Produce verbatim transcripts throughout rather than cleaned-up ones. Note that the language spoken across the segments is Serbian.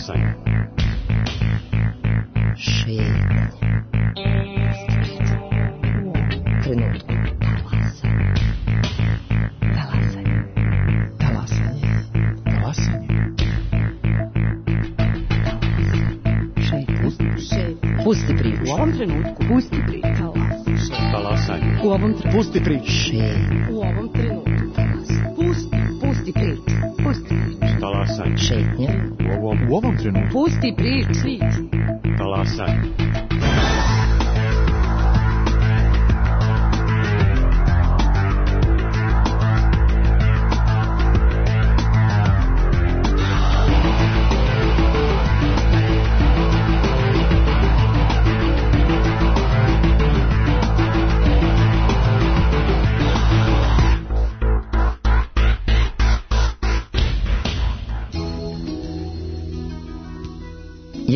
Talasanje. Šetnje. Trenutku. Talasanje. Talasanje. Talasanje. Šetnje. Šetnje. Pusti priču. U ovom trenutku. Pusti priču. Talasanje. U ovom trenutku. Pusti priču. Šetnje. U ovom trenutku. Pusti. Pusti priču. Pusti priču. Talasanje. Šetnje. U ovom, U ovom trenutku. Pusti priču. talasanje.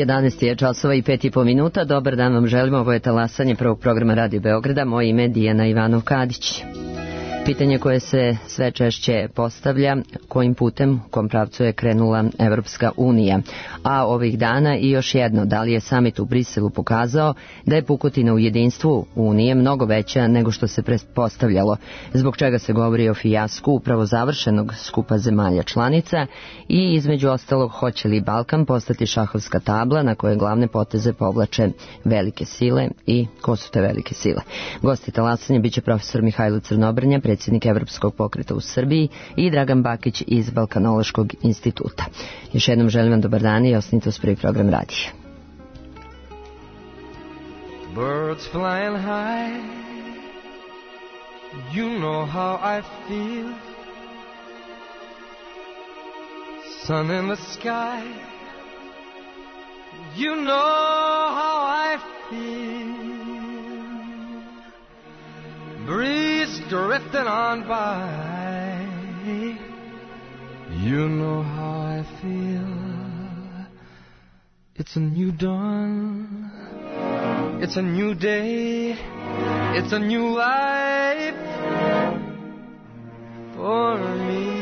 jedanaest je časova i pet i po minuta. Dobar dan vam želimo. Ovo je talasanje prvog programa Radio Beograda. Moje ime je Dijana Ivanov-Kadić. Pitanje koje se sve češće postavlja, kojim putem, u kom pravcu je krenula Evropska unija. A ovih dana i još jedno, da li je samit u Briselu pokazao da je pukotina u jedinstvu Unije mnogo veća nego što se pretpostavljalo, zbog čega se govori o fijasku upravo završenog skupa zemalja članica i između ostalog hoće li Balkan postati šahovska tabla na koje glavne poteze povlače velike sile i ko su te velike sile. Gosti talasanja biće profesor Mihajlo Crnobrnja, predsjednik Evropskog pokreta u Srbiji, i Dragan Bakić iz Balkanološkog instituta. Još jednom želim vam dobar dan i ostanite uz prvi program radija. Birds flying high, you know how I feel. Sun in the sky, you know how I feel. Breeze drifting on by, you know how I feel. It's a new dawn, it's a new day, it's a new life for me.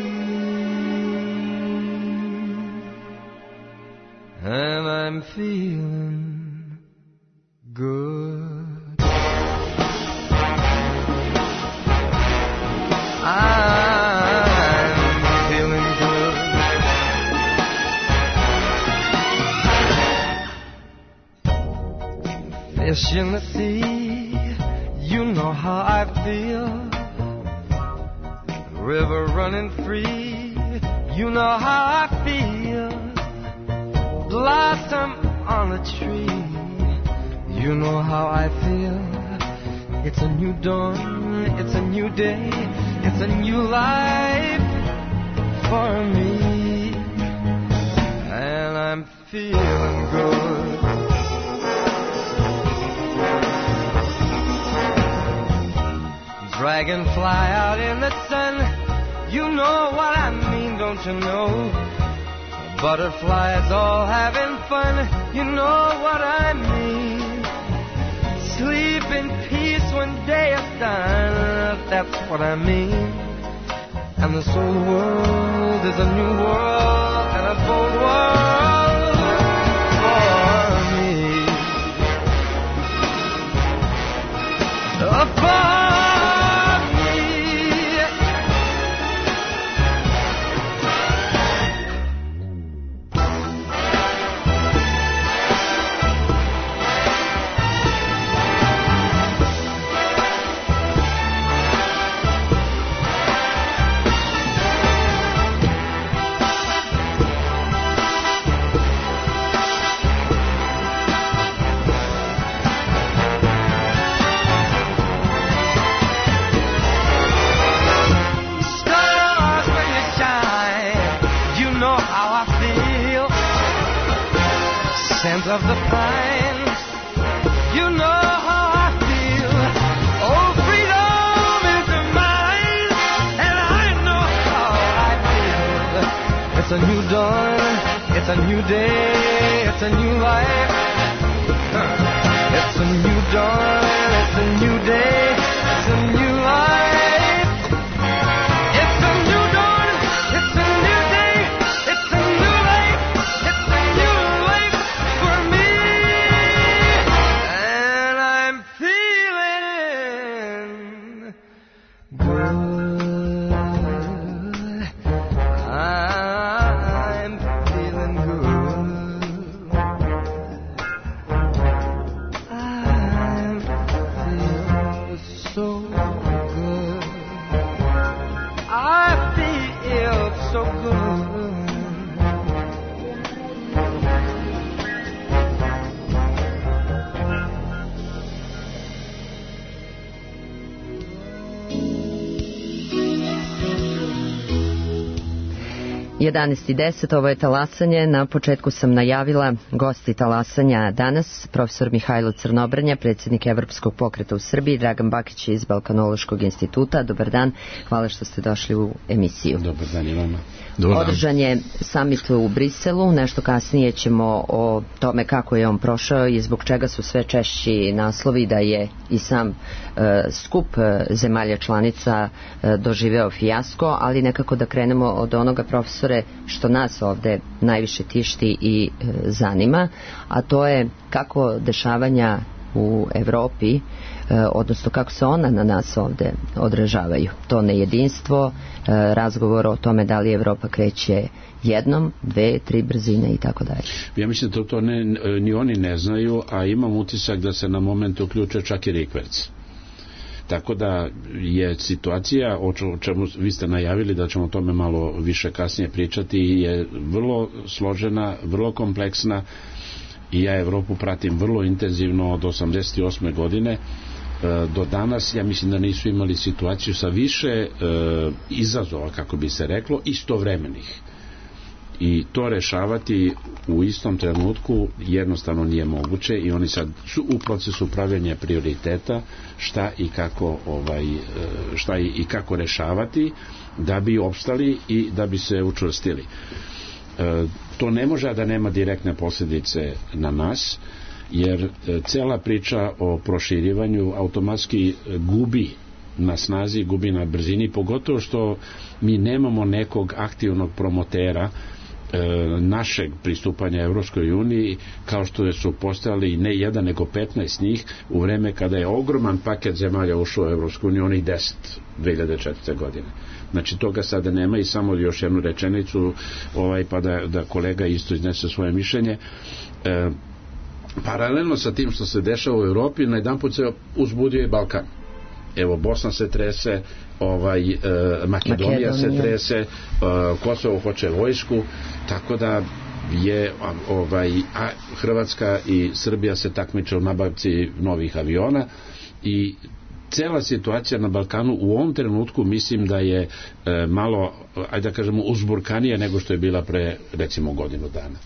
And I'm feeling good. I'm feeling good. Fish in the sea, you know how I feel. River running free, you know how I feel. Blossom on the tree, you know how I feel. It's a new dawn, it's a new day, it's a new life for me. And I'm feeling good. Dragonfly out in the sun, you know what I mean, don't you know? Butterflies all having fun, you know what I mean. Sleep in peace when day is done, that's what I mean. And this old world is a new world, and a bold world for me. For me. Of the pines, you know how I feel. Oh, freedom is mine, and I know how I feel. It's a new dawn, it's a new day, it's a new life. It's a new dawn, it's a new day, it's a new life. It's a new dawn, it's a new day, it's a new life. It's a new jedanaest i deset, ovo je Talasanje. Na početku sam najavila gosti Talasanja danas, profesor Mihajlo Crnobrnja, predsjednik Evropskog pokreta u Srbiji, Dragan Bakić iz Balkanološkog instituta. Dobar dan, hvala što ste došli u emisiju. Dobar dan i vama. Održan je samit u Briselu, nešto kasnije ćemo o tome kako je on prošao i zbog čega su sve češći naslovi da je i sam e, skup zemalja članica e, doživeo fijasko, ali nekako da krenemo od onoga, profesore, što nas ovde najviše tišti i e, zanima, a to je kako dešavanja u Evropi, e, odnosno kako se ona na nas ovde odražavaju. To nejedinstvo, e, razgovor o tome da li Evropa kreće jednom, dve, tri brzine i tako dalje. Ja mislim da to, to ne, ni oni ne znaju, a imam utisak da se na moment uključuje čak i rikverc. Tako da je situacija, o čemu vi ste najavili da ćemo o tome malo više kasnije pričati, je vrlo složena, vrlo kompleksna i ja Evropu pratim vrlo intenzivno od osamdeset osme godine do danas. Ja mislim da nisu imali situaciju sa više e, izazova, kako bi se reklo, istovremenih. I to rešavati u istom trenutku jednostavno nije moguće i oni sad su u procesu pravljenja prioriteta šta i kako ovaj, šta i kako rešavati da bi opstali i da bi se učvrstili. E, to ne može da nema direktne posljedice na nas, jer cela priča o proširivanju automatski gubi na snazi, gubi na brzini, pogotovo što mi nemamo nekog aktivnog promotera e, našeg pristupanja Evropskoj uniji, kao što su postojali ne jedan nego petnaest njih u vreme kada je ogroman paket zemalja ušao u Evropsku uniju, onih deset dve hiljade četvrte godine. Znači toga sada nema i samo još jednu rečenicu ovaj, pa da, da kolega isto iznese svoje mišljenje. E, paralelno sa tim što se dešava u Evropi, na jedan put se uzbudio i Balkan. Evo, Bosna se trese, ovaj, e, Makedonija, Makedonija se trese, e, Kosovo hoće vojsku, tako da je ovaj, a Hrvatska i Srbija se takmiče u nabavci novih aviona i cela situacija na Balkanu u ovom trenutku mislim da je e, malo, ajde da kažemo, uzburkanija nego što je bila pre recimo godinu dana.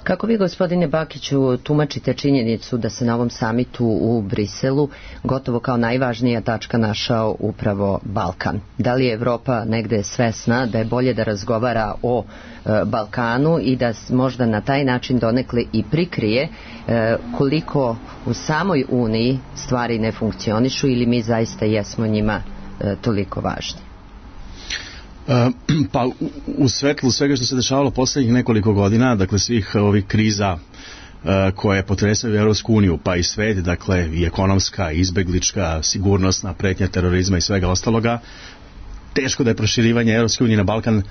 Kako vi, gospodine Bakiću, tumačite činjenicu da se na ovom samitu u Briselu gotovo kao najvažnija tačka našao upravo Balkan? Da li je Evropa negde svesna da je bolje da razgovara o e, Balkanu i da možda na taj način donekle i prikrije e, koliko u samoj Uniji stvari ne funkcionišu ili mi zaista jesmo njima e, toliko važni? Pa u svetlu svega što se dešavalo poslednjih nekoliko godina, dakle svih ovih kriza koje potresaju Evropsku uniju, pa i svet, dakle i ekonomska, i izbeglička, sigurnosna, pretnja terorizma i svega ostaloga, teško da je proširivanje Evropske unije na Balkan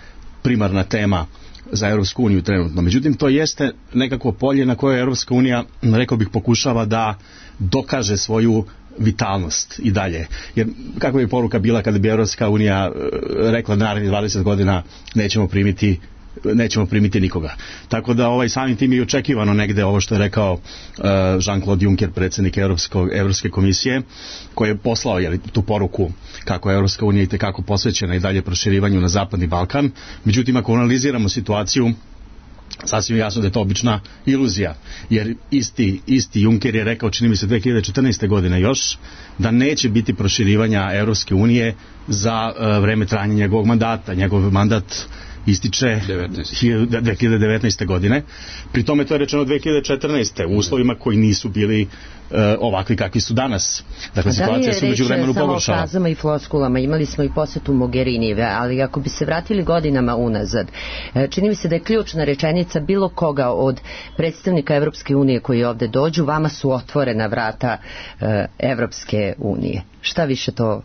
primarna tema za Evropsku uniju trenutno. Međutim, to jeste nekako polje na koje Evropska unija, rekao bih, pokušava da dokaže svoju vitalnost i dalje. Jer kakva bi poruka bila kada bi Evropska unija rekla da narednih dvadeset godina nećemo primiti nećemo primiti nikoga. Tako da ovaj samim tim je očekivano negde ovo što je rekao uh, Jean-Claude Juncker, predsjednik Evropskog, Evropske komisije, koji je poslao jeli, tu poruku kako je Evropska unija i tekako posvećena i dalje proširivanju na Zapadni Balkan. Međutim, ako analiziramo situaciju, sasvim jasno da je to obična iluzija, jer isti, isti Juncker je rekao, čini mi se dve hiljade četrnaeste. godine još, da neće biti proširivanja Evropske unije za uh, vreme trajanja njegovog mandata. Njegov mandat ističe dve hiljade devetnaeste. godine. Pri tome to je rečeno dve hiljade četrnaeste. u uslovima koji nisu bili uh, ovakvi kakvi su danas. Dakle, da situacija se među vremenu pogoršala. Da li je reč samo o frazama i floskulama? Imali smo i posetu Mogherinijeve, ali ako bi se vratili godinama unazad, čini mi se da je ključna rečenica bilo koga od predstavnika Evropske unije koji ovde dođu, vama su otvorena vrata uh, Evropske unije. Šta više to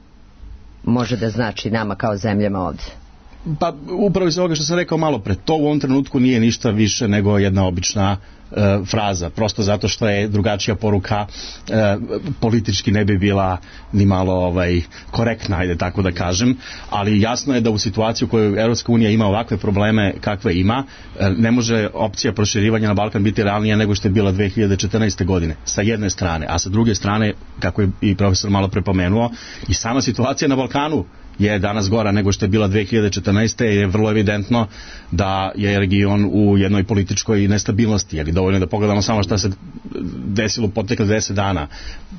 može da znači nama kao zemljama ovde? Pa upravo iz ovoga što sam rekao malo pre, to u ovom trenutku nije ništa više nego jedna obična e, fraza, prosto zato što je drugačija poruka e, politički ne bi bila ni malo ovaj, korektna, ajde tako da kažem, ali jasno je da u situaciji u kojoj Evropska unija ima ovakve probleme kakve ima, e, ne može opcija proširivanja na Balkan biti realnija nego što je bila dve hiljade četrnaeste. godine, sa jedne strane, a sa druge strane, kako je i profesor malo prepomenuo, i sama situacija na Balkanu je danas gora nego što je bila dve hiljade četrnaeste. je vrlo evidentno da je region u jednoj političkoj nestabilnosti, jer je dovoljno da pogledamo samo šta se desilo u protekle deset dana.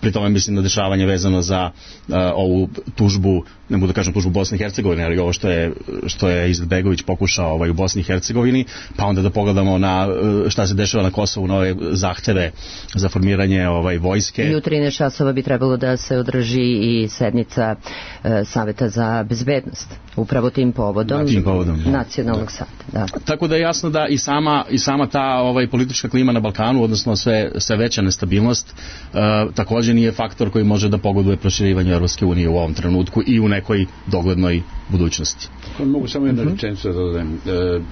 Pri tome mislim na dešavanje vezano za uh, ovu tužbu, ne mogu da kažem tužbu Bosne i Hercegovine, ali ovo što je, što je Izetbegović pokušao ovaj, u Bosni i Hercegovini, pa onda da pogledamo na uh, šta se dešava na Kosovu, na ove zahteve za formiranje ovaj, vojske. I u trinaest časova bi trebalo da se održi i sednica uh, Saveta za bezbednost, upravo tim povodom, tim povodom nacionalnog da. Saveta. Da. Tako da je jasno da i sama, i sama ta ovaj, politička klima na Balkanu, odnosno sve, sve veća nestabilnost, uh, također nije faktor koji može da pogoduje proširivanju Evropske unije u ovom trenutku i u nekoj doglednoj budućnosti. Mogu samo jednu uh-huh. rečenicu da dodam. Uh,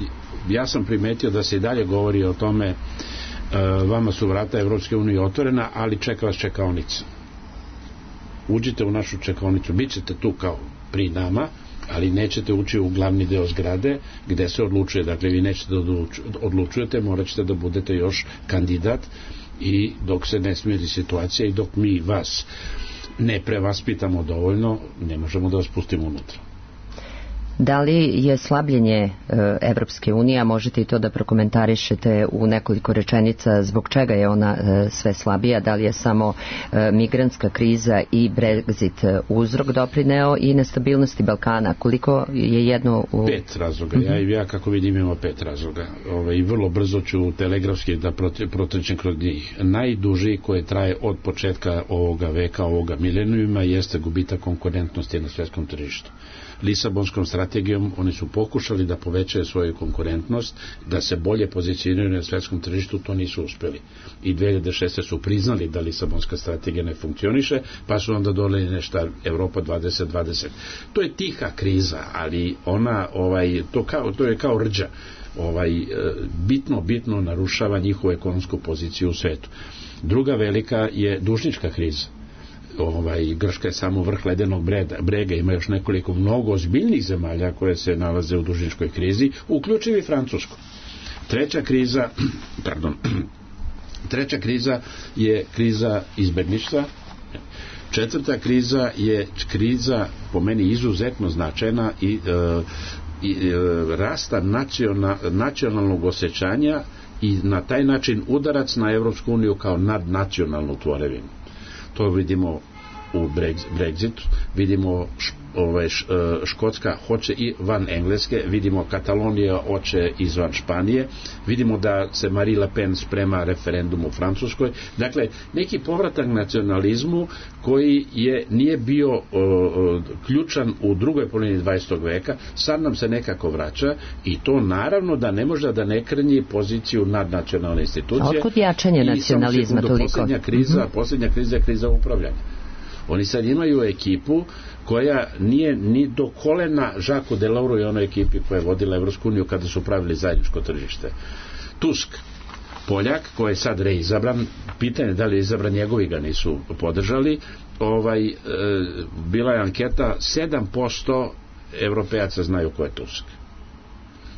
ja sam primetio da se i dalje govori o tome, uh, vama su vrata Evropske unije otvorena, ali čeka vas čekaonica. Uđite u našu čekaonicu, bit ćete tu kao pri nama, ali nećete ući u glavni deo zgrade gde se odlučuje, dakle vi nećete da odlučujete, morat ćete da budete još kandidat i dok se ne smiri situacija i dok mi vas ne prevaspitamo dovoljno, ne možemo da vas pustimo unutra. Da li je slabljenje Evropske unije, a možete i to da prokomentarišete u nekoliko rečenica, zbog čega je ona e, sve slabija, da li je samo e, migrantska kriza i Brexit uzrok doprineo i nestabilnosti Balkana, koliko je jedno u... Pet razloga, ja i ja kako vidim imamo pet razloga. Ove, i vrlo brzo ću telegrafski da protrčem kroz njih. Najduži koje traje od početka ovoga veka, ovoga milenijuma, jeste gubitak konkurentnosti na svjetskom tržištu. Lisabonskom strategijom oni su pokušali da povećaju svoju konkurentnost, da se bolje pozicioniraju na svjetskom tržištu, to nisu uspjeli. I dve hiljade šeste su priznali da Lisabonska strategija ne funkcioniše, pa su onda doneli nešto Evropa dvadeset dvadeset. To je tiha kriza, ali ona, ovaj, to, kao, to je kao rđa. Ovaj, bitno, bitno narušava njihovu ekonomsku poziciju u svetu. Druga velika je dužnička kriza. Ovaj, Grčka je samo vrh ledenog brega, ima još nekoliko mnogo ozbiljnih zemalja koje se nalaze u dužničkoj krizi, uključivi Francusku. Treća kriza, pardon, treća kriza je kriza izbjeglištva. Četvrta kriza je kriza po meni izuzetno značajna i, e, i e, rasta nacional, nacionalnog osjećanja i na taj način udarac na Evropsku uniju kao nadnacionalnu tvorevinu. To vidimo u Brexitu, vidimo ovaj, Škotska hoće i van Engleske, vidimo Katalonija hoće izvan Španije, vidimo da se Marie Le Pen sprema referendum u Francuskoj. Dakle, neki povratak nacionalizmu koji je, nije bio o, o, ključan u drugoj polovini dvadesetog veka, sad nam se nekako vraća i to naravno da ne može da ne krnji poziciju nadnacionalne institucije. A otkud jačanje nacionalizma toliko? Posljednja kriza, mm-hmm. posljednja kriza je kriza upravljanja. Oni sad imaju ekipu koja nije ni do kolena Žaku Deloru i onoj ekipi koja je vodila Evropsku uniju kada su pravili zajedničko tržište. Tusk, Poljak, koji je sad reizabran, pitanje da li je izabran, njegovi ga nisu podržali, ovaj, e, bila je anketa, sedam posto Evropejaca znaju ko je Tusk.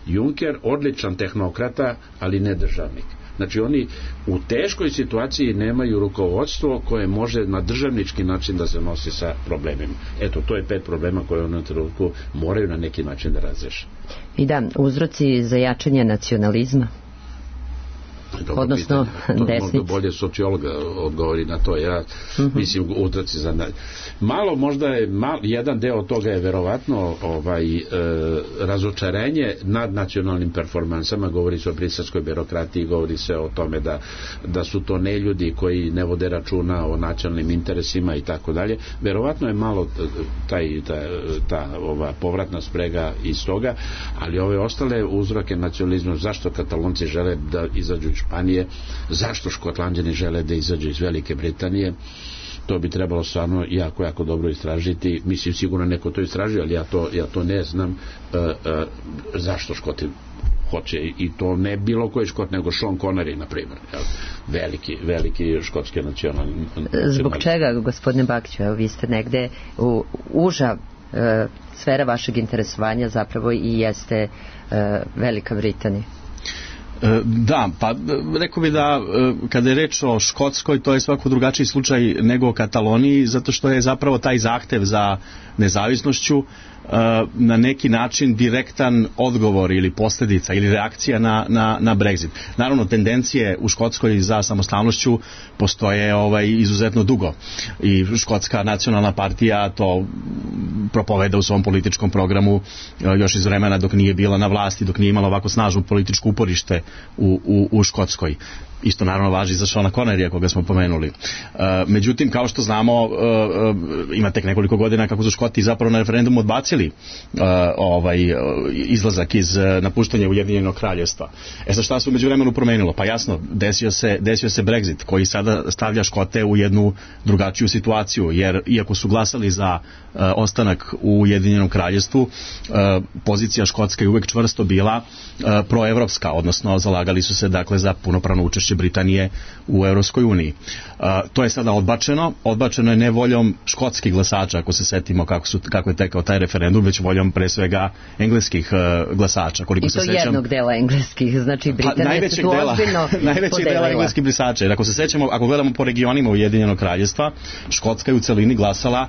Juncker, odličan tehnokrata, ali ne državnik. Znači oni u teškoj situaciji nemaju rukovodstvo koje može na državnički način da se nosi sa problemima. Eto, to je pet problema koje u onom trenutku moraju na neki način da razreše. I da, uzroci za jačanje nacionalizma? Dobro, odnosno desnice. Možda bolje sociologa odgovori na to. Ja uh-huh. mislim utraci za... Malo možda je, mal, jedan deo toga je verovatno ovaj, e, razočarenje nad nacionalnim performansama, govori se o briselskoj birokratiji, govori se o tome da, da su to neljudi koji ne vode računa o nacionalnim interesima i tako dalje. Verovatno je malo taj, ta, ta ova povratna sprega iz toga, ali ove ostale uzroke nacionalizma, zašto Katalonci žele da izađu Španije, zašto Škotlanđani žele da izađu iz Velike Britanije, to bi trebalo stvarno jako, jako dobro istražiti. Mislim, sigurno neko to istraži, ali ja to, ja to ne znam uh, uh, zašto Škoti hoće, i to ne bilo koji Škot, nego Sean Connery, na primjer. Veliki, veliki škotski nacionalni. Zbog čega, gospodine Bakiću, evo vi ste negde u uža uh, sfera vašeg interesovanja zapravo i jeste uh, Velika Britanija? Da, pa rekao bi da kada je reč o Škotskoj, to je svako drugačiji slučaj nego o Kataloniji, zato što je zapravo taj zahtev za nezavisnošću na neki način direktan odgovor ili posljedica ili reakcija na, na, na Brexit. Naravno, tendencije u Škotskoj za samostalnošću postoje ovaj, izuzetno dugo i Škotska nacionalna partija to propoveda u svom političkom programu još iz vremena dok nije bila na vlasti, dok nije imala ovako snažno političko uporište u, u, u Škotskoj. Isto naravno važi za Seana Connerya koga smo pomenuli. E, međutim, kao što znamo, e, e, ima tek nekoliko godina kako su Škoti zapravo na referendumu odbacili e, ovaj, izlazak iz napuštanja Ujedinjenog kraljevstva. E sad šta se u međuvremenu promenilo? Pa jasno, desio se, desio se Brexit koji sada stavlja Škote u jednu drugačiju situaciju, jer iako su glasali za e, ostanak u Ujedinjenom kraljevstvu, e, pozicija Škotska je uvek čvrsto bila e, proevropska, odnosno zalagali su se dakle za punopravno učešće Britanije u Europskoj uniji. Uh, to je sada odbačeno. Odbačeno je ne voljom škotskih glasača, ako se setimo kako, su, kako je tekao taj referendum, već voljom pre svega engleskih uh, glasača. Koliko I to se sećam, jednog dela engleskih, znači Britanija se tu ozbiljno najvećeg dela engleskih glasača. Jer ako se sećamo, ako gledamo po regionima Ujedinjenog kraljevstva, Škotska je u celini glasala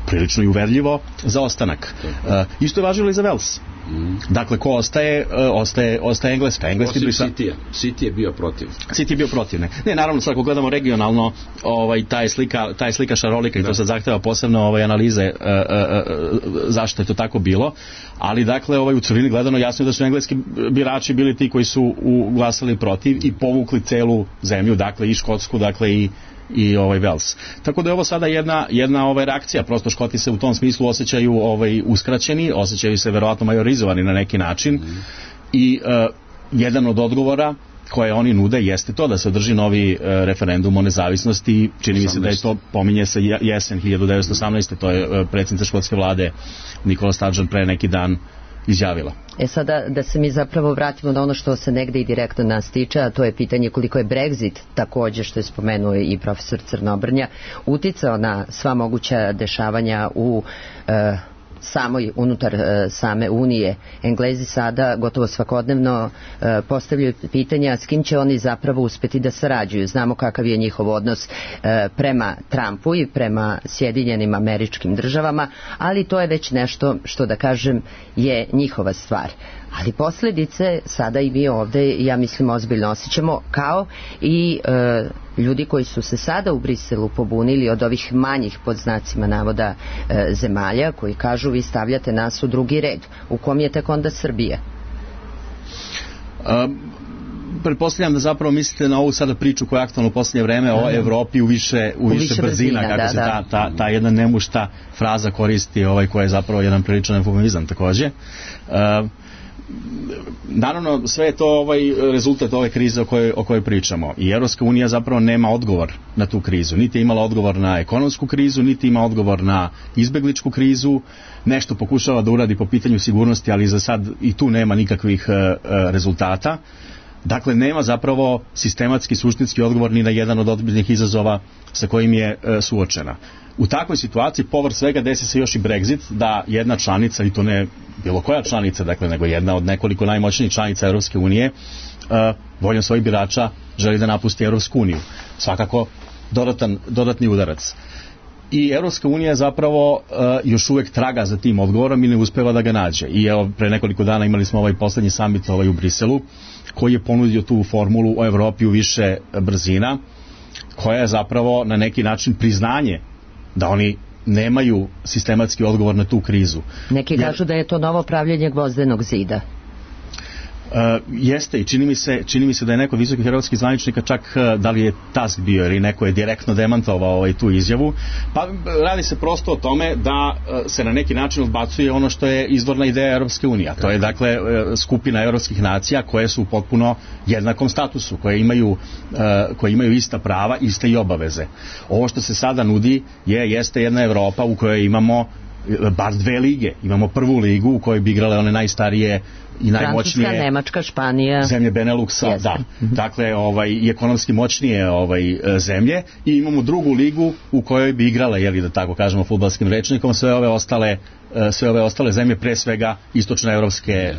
prilično i uverljivo za ostanak. Uh, isto je važilo i za Wales. Mm. Dakle, ko ostaje, uh, ostaje, ostaje Engleska. Engleski Osim brisa... City-a. City je bio protiv. City je bio protiv, ne. Ne, naravno, sad ako gledamo regionalno, ovaj, ta je slika, ta je slika šarolika i to sad zahteva posebno ovaj, analize uh, uh, uh, zašto je to tako bilo, ali dakle, ovaj, u celini gledano jasno je da su engleski birači bili ti koji su u, glasali protiv i povukli celu zemlju, dakle i Škotsku, dakle i i ovaj Wales. Tako da je ovo sada jedna jedna ovaj reakcija, prosto Škoti se u tom smislu osjećaju ovaj uskraćeni, osjećaju se verovatno majorizovani na neki način mm. i uh, jedan od odgovora koje oni nude jeste to da se održi novi uh, referendum o nezavisnosti. Čini mi se da je to, pominje se jesen hiljadu devetsto osamnaeste. To je uh, predsjednica škotske vlade Nicola Sturgeon pre neki dan izjavila. E sada da se mi zapravo vratimo na ono što se negde i direktno nas tiče, a to je pitanje koliko je Brexit, takođe što je spomenuo i profesor Crnobrnja, uticao na sva moguća dešavanja u e, samoj unutar e, same Unije. Englezi sada gotovo svakodnevno e, postavljaju pitanja s kim će oni zapravo uspeti da sarađuju. Znamo kakav je njihov odnos e, prema Trumpu i prema Sjedinjenim Američkim Državama, ali to je već nešto što da kažem je njihova stvar. Ali posljedice sada i mi ovde, ja mislim, ozbiljno osjećamo, kao i e, ljudi koji su se sada u Briselu pobunili od ovih manjih, pod znacima navoda, e, zemalja, koji kažu vi stavljate nas u drugi red. U kom je tek onda Srbija? Um, pretpostavljam da zapravo mislite na ovu sada priču koja je aktualna u posljednje vreme o Evropi u više, u više, više brzina, brzina, kako da, se da. Ta, ta, ta jedna nemušta fraza koristi, ovaj, koja je zapravo jedan priličan eufemizam takođe. Uh, naravno sve je to ovaj rezultat ove krize o kojoj, o kojoj pričamo i Europska unija zapravo nema odgovor na tu krizu, niti je imala odgovor na ekonomsku krizu, niti ima odgovor na izbegličku krizu, nešto pokušava da uradi po pitanju sigurnosti, ali za sad i tu nema nikakvih uh, rezultata. Dakle, nema zapravo sistematski, suštinski odgovor ni na jedan od ozbiljnih izazova sa kojim je uh, suočena. U takvoj situaciji, povrh svega, desi se još i Brexit, da jedna članica, i to ne bilo koja članica, dakle, nego jedna od nekoliko najmoćnijih članica Europske unije, uh, voljom svojih birača želi da napusti Europsku uniju. Svakako, dodatan, dodatni udarac. I Europska unija zapravo uh, još uvek traga za tim odgovorom i ne uspeva da ga nađe. I evo, pre nekoliko dana imali smo ovaj poslednji summit ovaj u Briselu, koji je ponudio tu formulu o Evropi u više brzina, koja je zapravo na neki način priznanje da oni nemaju sistematski odgovor na tu krizu. Neki kažu Jer, da je to novo pravljenje gvozdenog zida. Uh, jeste i čini mi se, čini mi se da je neko visokih hrvatskih zvaničnika čak uh, da li je Tusk bio ili neko je direktno demantovao ovaj, tu izjavu. Pa radi se prosto o tome da uh, se na neki način odbacuje ono što je izvorna ideja Europske unije. To je dakle uh, skupina europskih nacija koje su u potpuno jednakom statusu, koje imaju, uh, koje imaju ista prava, iste i obaveze. Ovo što se sada nudi je, jeste jedna Evropa u kojoj imamo bar dve lige. Imamo prvu ligu u kojoj bi igrale one najstarije i najmoćnije Francuska, Nemačka, Španija, zemlje Beneluxa, Jeste. da. Dakle, ovaj i ekonomski moćnije ovaj zemlje, i imamo drugu ligu u kojoj bi igrale, je li da tako kažemo fudbalskim rečnikom, sve ove ostale sve ove ostale zemlje, pre svega istočnoevropske e,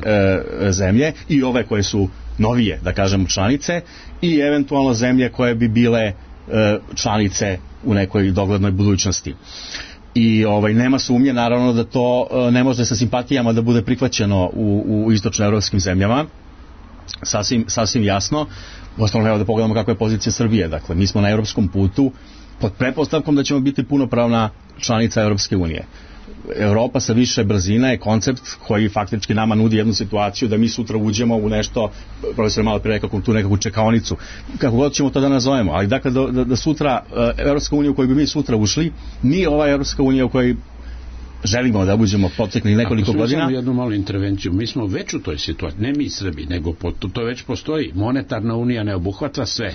zemlje i ove koje su novije, da kažemo, članice, i eventualno zemlje koje bi bile e, članice u nekoj doglednoj budućnosti. i ovaj, nema sumnje naravno da to ne može sa simpatijama da bude prihvaćeno u, u istočnoevropskim zemljama, sasvim, sasvim jasno. Uostalom, evo da pogledamo kakva je pozicija Srbije. Dakle, mi smo na evropskom putu pod pretpostavkom da ćemo biti punopravna članica Evropske unije. Evropa sa više brzina je koncept koji faktički nama nudi jednu situaciju da mi sutra uđemo u nešto, profesor je malo prije rekao, tu nekakvu čekaonicu, kako god ćemo to da nazovemo, ali dakle da, da, da sutra Evropska unija u kojoj bi mi sutra ušli nije ova Evropska unija u kojoj želimo da uđemo proteklih nekoliko godina. godina. Samo jednu malu intervenciju. Mi smo već u toj situaciji, ne mi Srbi, nego po, to već postoji. Monetarna unija ne obuhvata sve.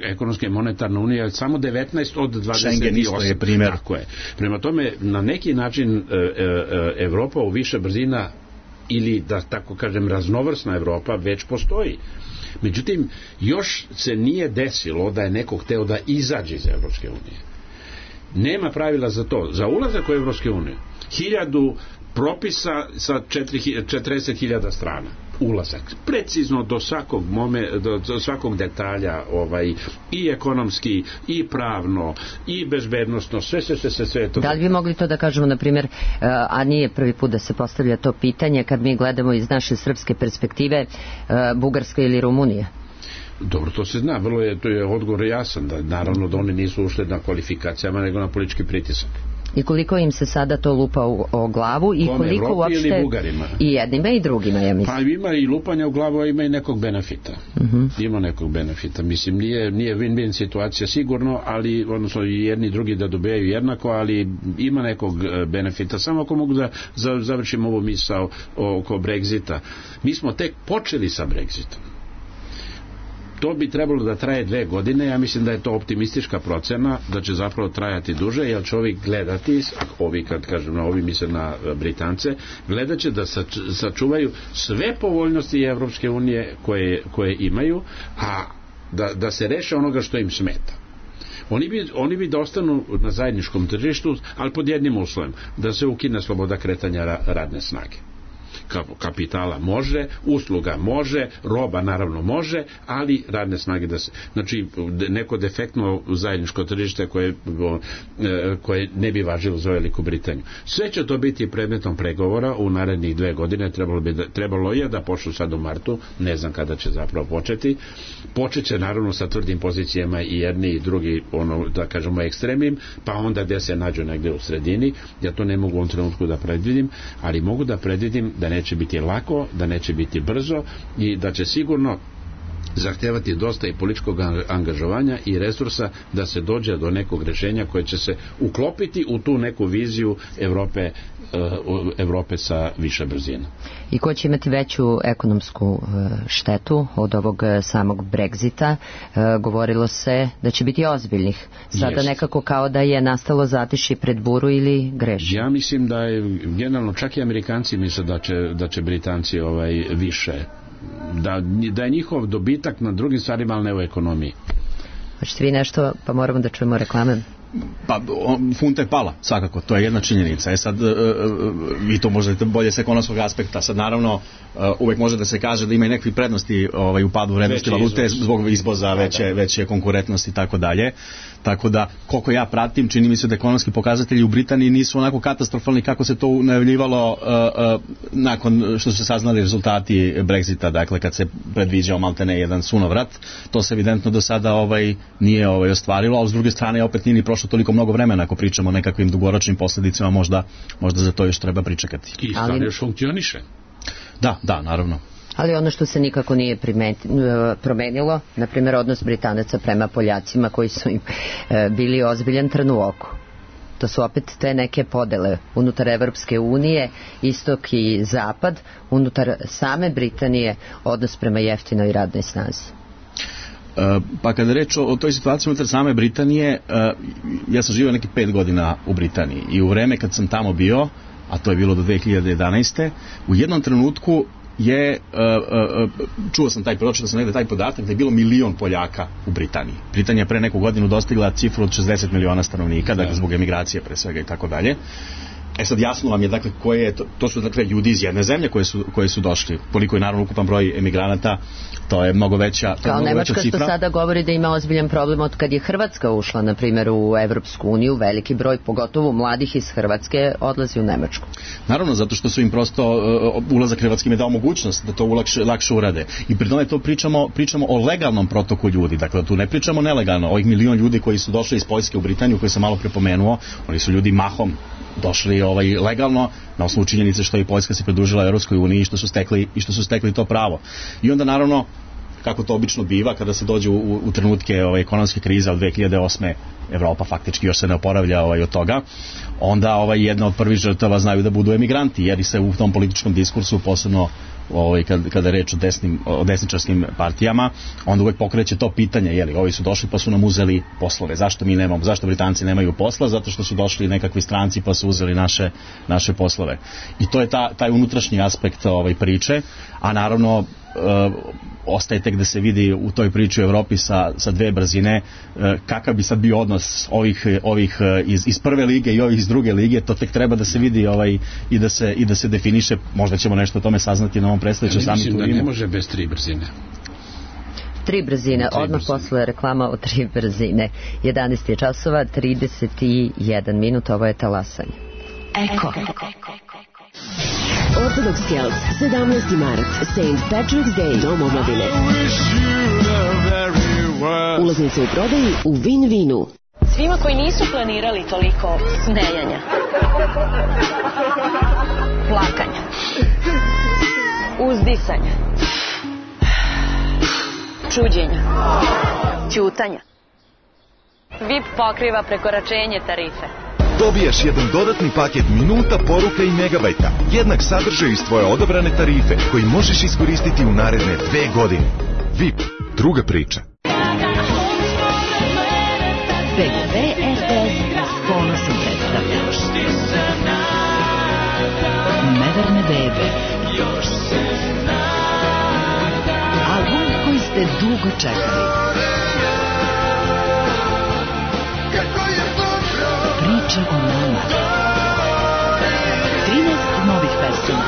Ekonomska i monetarna unija je samo devetnaest od dvadeset osam. Schengen isto je primjer. Tako je. Prema tome, na neki način Evropa u više brzina ili, da tako kažem, raznovrsna Evropa već postoji. Međutim, još se nije desilo da je neko hteo da izađe iz Evropske unije. Nema pravila za to. Za ulazak u Evropske unije hiljadu propisa sa četrdeset hiljada strana. Ulazak. Precizno do svakog mome, do, do svakog detalja, ovaj, i ekonomski, i pravno, i bezbednostno, sve, sve, sve, sve, sve to. Da li bi mogli to da kažemo, na primjer, a nije prvi put da se postavlja to pitanje, kad mi gledamo iz naše srpske perspektive, Bugarska ili Rumunija? Dobro, to se zna, vrlo je, to je odgovor jasan, da naravno da oni nisu ušli na kvalifikacijama, nego na politički pritisak. I koliko im se sada to lupa u, o glavu i Kome, koliko Evropi uopšte ili Bugarima? I jednima i drugima, ja mislim. Pa ima i lupanja u glavu, a ima i nekog benefita. Uh-huh. Ima nekog benefita. Mislim, nije, nije win-win situacija sigurno, ali odnosno i jedni i drugi da dobijaju jednako, ali ima nekog benefita. Samo ako mogu da završim ovu misao oko Brexita. Mi smo tek počeli sa Brexitom. To bi trebalo da traje dve godine, ja mislim da je to optimistička procena, da će zapravo trajati duže, jer će ovi gledati, ovi kad kažem na ovi misle na Britance, gledat će da sačuvaju sve povoljnosti Evropske unije koje, koje imaju, a da, da se reše onoga što im smeta. Oni bi, oni bi da ostanu na zajedničkom tržištu, ali pod jednim uslovom, da se ukine sloboda kretanja radne snage. Kapitala može, usluga može, roba naravno može, ali radne snage da se, znači neko defektno zajedničko tržište koje, koje ne bi važilo za Veliku Britaniju. Sve će to biti predmetom pregovora u narednih dve godine, trebalo, bi da, trebalo je da počnu sad u martu, ne znam kada će zapravo početi. Počet će naravno sa tvrdim pozicijama i jedni i drugi, ono, da kažemo ekstremnim, pa onda gde se nađu negde u sredini. Ja to ne mogu u ovom trenutku da predvidim, ali mogu da predvidim da neće biti lako, da neće biti brzo i da će sigurno zahtevati dosta i političkog angažovanja i resursa da se dođe do nekog rešenja koje će se uklopiti u tu neku viziju Evrope, Evrope sa više brzina. I ko će imati veću ekonomsku štetu od ovog samog Brexita? Govorilo se da će biti ozbiljnih. Sada Jest. Nekako kao da je nastalo zatiši pred buru ili greši? Ja mislim da je generalno čak i Amerikanci misle da će, da će Britanci ovaj, više Da, da je njihov dobitak na drugim stvarima, ali ne u ekonomiji. Hoćete vi nešto, pa moramo da čujemo reklame? Pa, funta je pala, svakako, to je jedna činjenica. E sad, vi to možete bolje s ekonomskog aspekta. Sad, naravno, uvek može da se kaže da ima i nekakve prednosti ovaj, u padu vrednosti valute zbog izvoza, veće, veće konkurentnosti i tako dalje. Tako da, koliko ja pratim, čini mi se da ekonomski pokazatelji u Britaniji nisu onako katastrofalni kako se to najavljivalo uh, uh, nakon što su se saznali rezultati Brexita, dakle kad se predviđao maltene jedan sunovrat. To se evidentno do sada ovaj, nije ovaj, ostvarilo, a s druge strane opet nije ni prošlo toliko mnogo vremena ako pričamo o nekakvim dugoročnim posljedicama, možda, možda za to još treba pričekati. I stvarno ali još funkcioniše. Da, da, naravno. Ali ono što se nikako nije primeti, promenilo, na primjer odnos Britanaca prema Poljacima koji su im e, bili ozbiljan trn u oku. To su opet te neke podele unutar Evropske unije, istok i zapad, unutar same Britanije, odnos prema jeftinoj radnoj snazi. Pa kada reč o, o toj situaciji unutar same Britanije, ja sam živio neki pet godina u Britaniji i u vreme kad sam tamo bio, a to je bilo do dve hiljade jedanaeste. u jednom trenutku je, uh, uh, čuo sam taj, pročitao sam negde taj podatak da je bilo milion Poljaka u Britaniji. Britanija pre neku godinu dostigla cifru od šezdeset miliona stanovnika, dakle zbog emigracije pre svega i tako dalje. E sad jasno vam je, dakle, koje je, to, to su dakle ljudi iz jedne zemlje koje su, koje su došli. Koliko je naravno ukupan broj emigranata, to je mnogo veća, to je kao mnogo Nemačka veća cifra. što sada govori da ima ozbiljan problem od kad je Hrvatska ušla, na primjer, u Evropsku uniju, veliki broj, pogotovo mladih iz Hrvatske, odlazi u Nemačku. Naravno, zato što su im prosto uh, ulazak Hrvatski im je dao mogućnost da to ulakše, lakše urade. I pri tome to pričamo, pričamo o legalnom protoku ljudi, dakle tu ne pričamo nelegalno. Ovih milion ljudi koji su došli iz Poljske u Britaniju, koji sam malo prepomenuo, oni su ljudi mahom došli ovaj legalno na osnovu činjenice što je Poljska se pridružila Evropskoj uniji i što su stekli i što su stekli to pravo. I onda naravno, kako to obično biva kada se dođe u, u trenutke ovaj ekonomske krize od dve hiljade osme, Evropa faktički još se ne oporavlja ovaj od toga, onda ovaj jedna od prvih žrtava znaju da budu emigranti, jer se u tom političkom diskursu, posebno ovaj, kad, kada je reč o, desnim, o desničarskim partijama, onda uvek pokreće to pitanje, jeli, ovi su došli pa su nam uzeli poslove, zašto mi nemamo, zašto Britanci nemaju posla, zato što su došli nekakvi stranci pa su uzeli naše, naše poslove. I to je ta, taj unutrašnji aspekt ovaj, priče, a naravno uh, ostaje tek da se vidi u toj priči u Evropi sa, sa dve brzine uh, kakav bi sad bio odnos ovih, ovih uh, iz, iz prve lige i ovih iz druge lige, to tek treba da se vidi ovaj, i, da se, i da se definiše, možda ćemo nešto o tome saznati na ovom predstavljećem ja samitu. Mislim da ne može bez tri brzine. Tri brzine, Tri odmah brzine. posle reklama o tri brzine. jedanaest je časova, trideset jedan minut, ovo je talasanje. Eko. Orthodox Celts, sedamnaesti mart, Saint Patrick's Day, Dom omladine. Ulaznice u prodaji u Win-Winu. Svima koji nisu planirali toliko smejanja, plakanja, uzdisanja, čuđenja, ćutanja, V I P pokriva prekoračenje tarife. Dobiješ jedan dodatni paket minuta, poruka i megabajta, jednak sadržaj iz tvoje odabrane tarife, koji možeš iskoristiti u naredne dve godine. V I P, druga priča. B G V R T S s ponosom predstavlja Neverne bebe. Album koji ste dugo čekali. Priča o nama. trinaest novih pesama.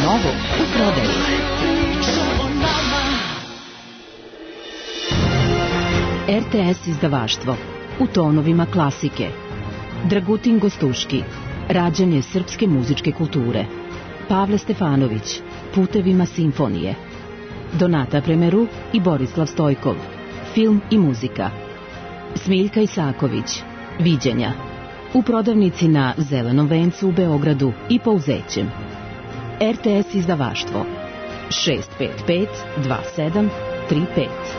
Novo u prodaji. R T S izdavaštvo. U tonovima klasike. Dragutin Gostuški. Rađanje srpske muzičke kulture. Pavle Stefanović. Putevima simfonije. Donata Premeru i Borislav Stojkov. Film i muzika. Smiljka Isaković. Viđenja. U prodavnici na Zelenom vencu u Beogradu i po Uzećem. R T S izdavaštvo. šest pet pet dva sedam tri pet.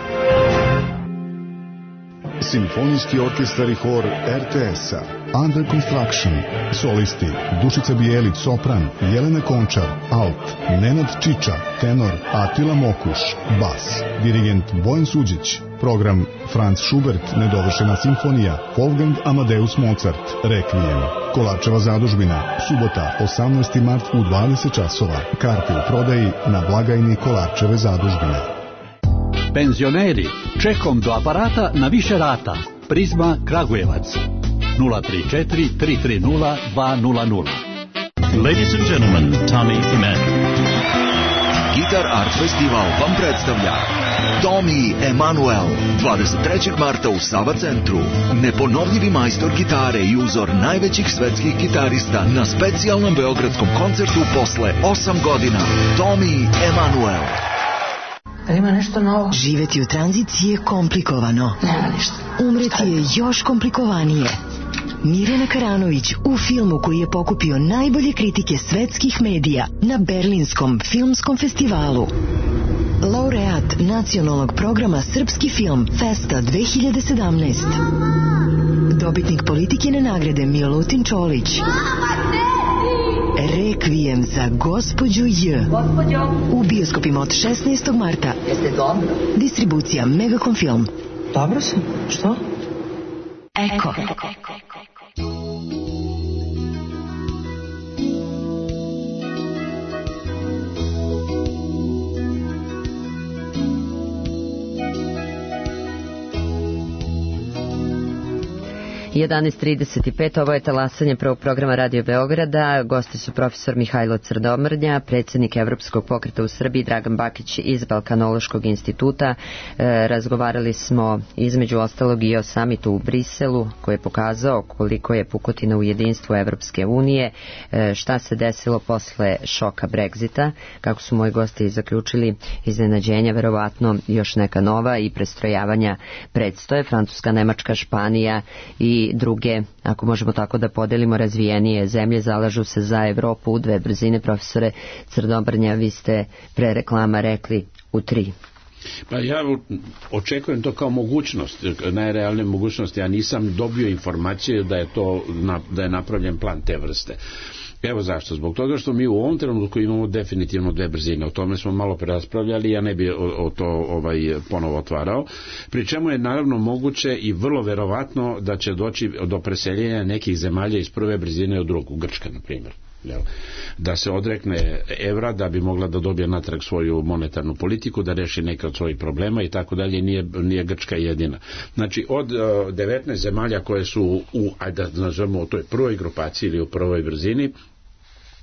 Simfonijski orkestar i hor R T S-a. Under Construction. Solisti Dušica Bijelić, sopran, Jelena Končar, alt, Nenad Čiča, tenor, Atila Mokuš, bas, dirigent Bojan Suđić. Program Franz Schubert, nedovršena simfonija, Wolfgang Amadeus Mozart, Requiem. Kolarčeva zadužbina, subota, osamnaesti mart u dvadeset časova. Karte u prodaji na blagajni Kolarčeve zadužbine. Penzioneri, čekom do aparata na više rata. Prizma Kragujevac. nula tri četiri tri tri nula dva nula nula. Ladies and gentlemen, Tommy Emanuel. Guitar Art Festival vam predstavlja Tommy Emanuel, dvadeset trećeg marta u Sava centru. Neponovljivi majstor gitare i uzor najvećih svetskih gitarista na specijalnom beogradskom koncertu posle osam godina. Tommy Emanuel. Ima nešto novo? Živeti u tranziciji je komplikovano. Nema ništa. Umreti je još komplikovanije. Mirjana Karanović u filmu koji je pokupio najbolje kritike svetskih medija na Berlinskom filmskom festivalu. Laureat nacionalnog programa Srpski film Festa dve hiljade sedamnaest. Dobitnik Politikine nagrade Milutin Čolić. Rekvijem za gospođu J. U bioskopima od šesnaestog marta. Jeste dobro? Distribucija Megacom Film. Dobro sam. Što? Eko. jedanaest trideset pet, ovo je talasanje prvog programa Radio Beograda. Gosti su profesor Mihajlo Crnomrnja, predsjednik Evropskog pokreta u Srbiji, Dragan Bakić iz Balkanološkog instituta. E, razgovarali smo između ostalog i o samitu u Briselu koji je pokazao koliko je pukotina u jedinstvu Evropske unije, e, šta se desilo posle šoka Brexita, kako su moji gosti zaključili, iznenađenja, verovatno još neka nova i prestrojavanja predstoje. Francuska, Nemačka, Španija i druge, ako možemo tako da podelimo, razvijenije zemlje zalažu se za Evropu u dve brzine. Profesore Crnomrnja, vi ste pre reklama rekli u tri. Pa ja očekujem to kao mogućnost, najrealnije mogućnost. Ja nisam dobio informacije da je to da je napravljen plan te vrste. Evo zašto. Zbog toga što mi u ovom trenutku imamo definitivno dve brzine. O tome smo malo preraspravljali, ja ne bi o, o to ovaj, ponovo otvarao. Pri čemu je naravno moguće i vrlo verovatno da će doći do preseljenja nekih zemalja iz prve brzine u drugu, Grčka na primjer. Da se odrekne evra da bi mogla da dobije natrag svoju monetarnu politiku, da reši neke od svojih problema i tako dalje. Nije, nije Grčka jedina. Znači od uh, devetnaest zemalja koje su u, ajde da nazovemo u toj prvoj grupaciji ili u prvoj brzini,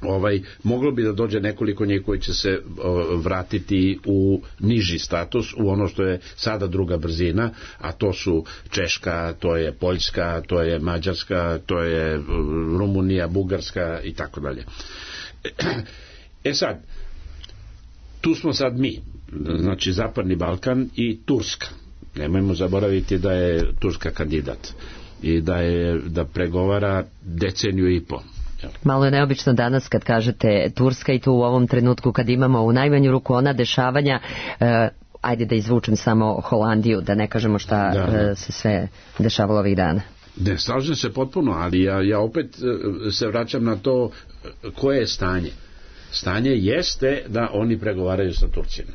ovaj, moglo bi da dođe nekoliko njih koji će se o, vratiti u niži status, u ono što je sada druga brzina, a to su Češka, to je Poljska, to je Mađarska, to je Rumunija, Bugarska i tako dalje. E sad, tu smo sad mi, znači Zapadni Balkan i Turska. Nemojmo zaboraviti da je Turska kandidat i da je da pregovara deceniju i po. Malo je neobično danas kad kažete Turska i tu u ovom trenutku kad imamo u najmanju ruku ona dešavanja, eh, ajde da izvučem samo Holandiju, da ne kažemo šta da, da. Eh, se sve dešavalo ovih dana. Ne, slažem se potpuno, ali ja, ja opet eh, se vraćam na to koje je stanje. Stanje jeste da oni pregovaraju sa Turcima.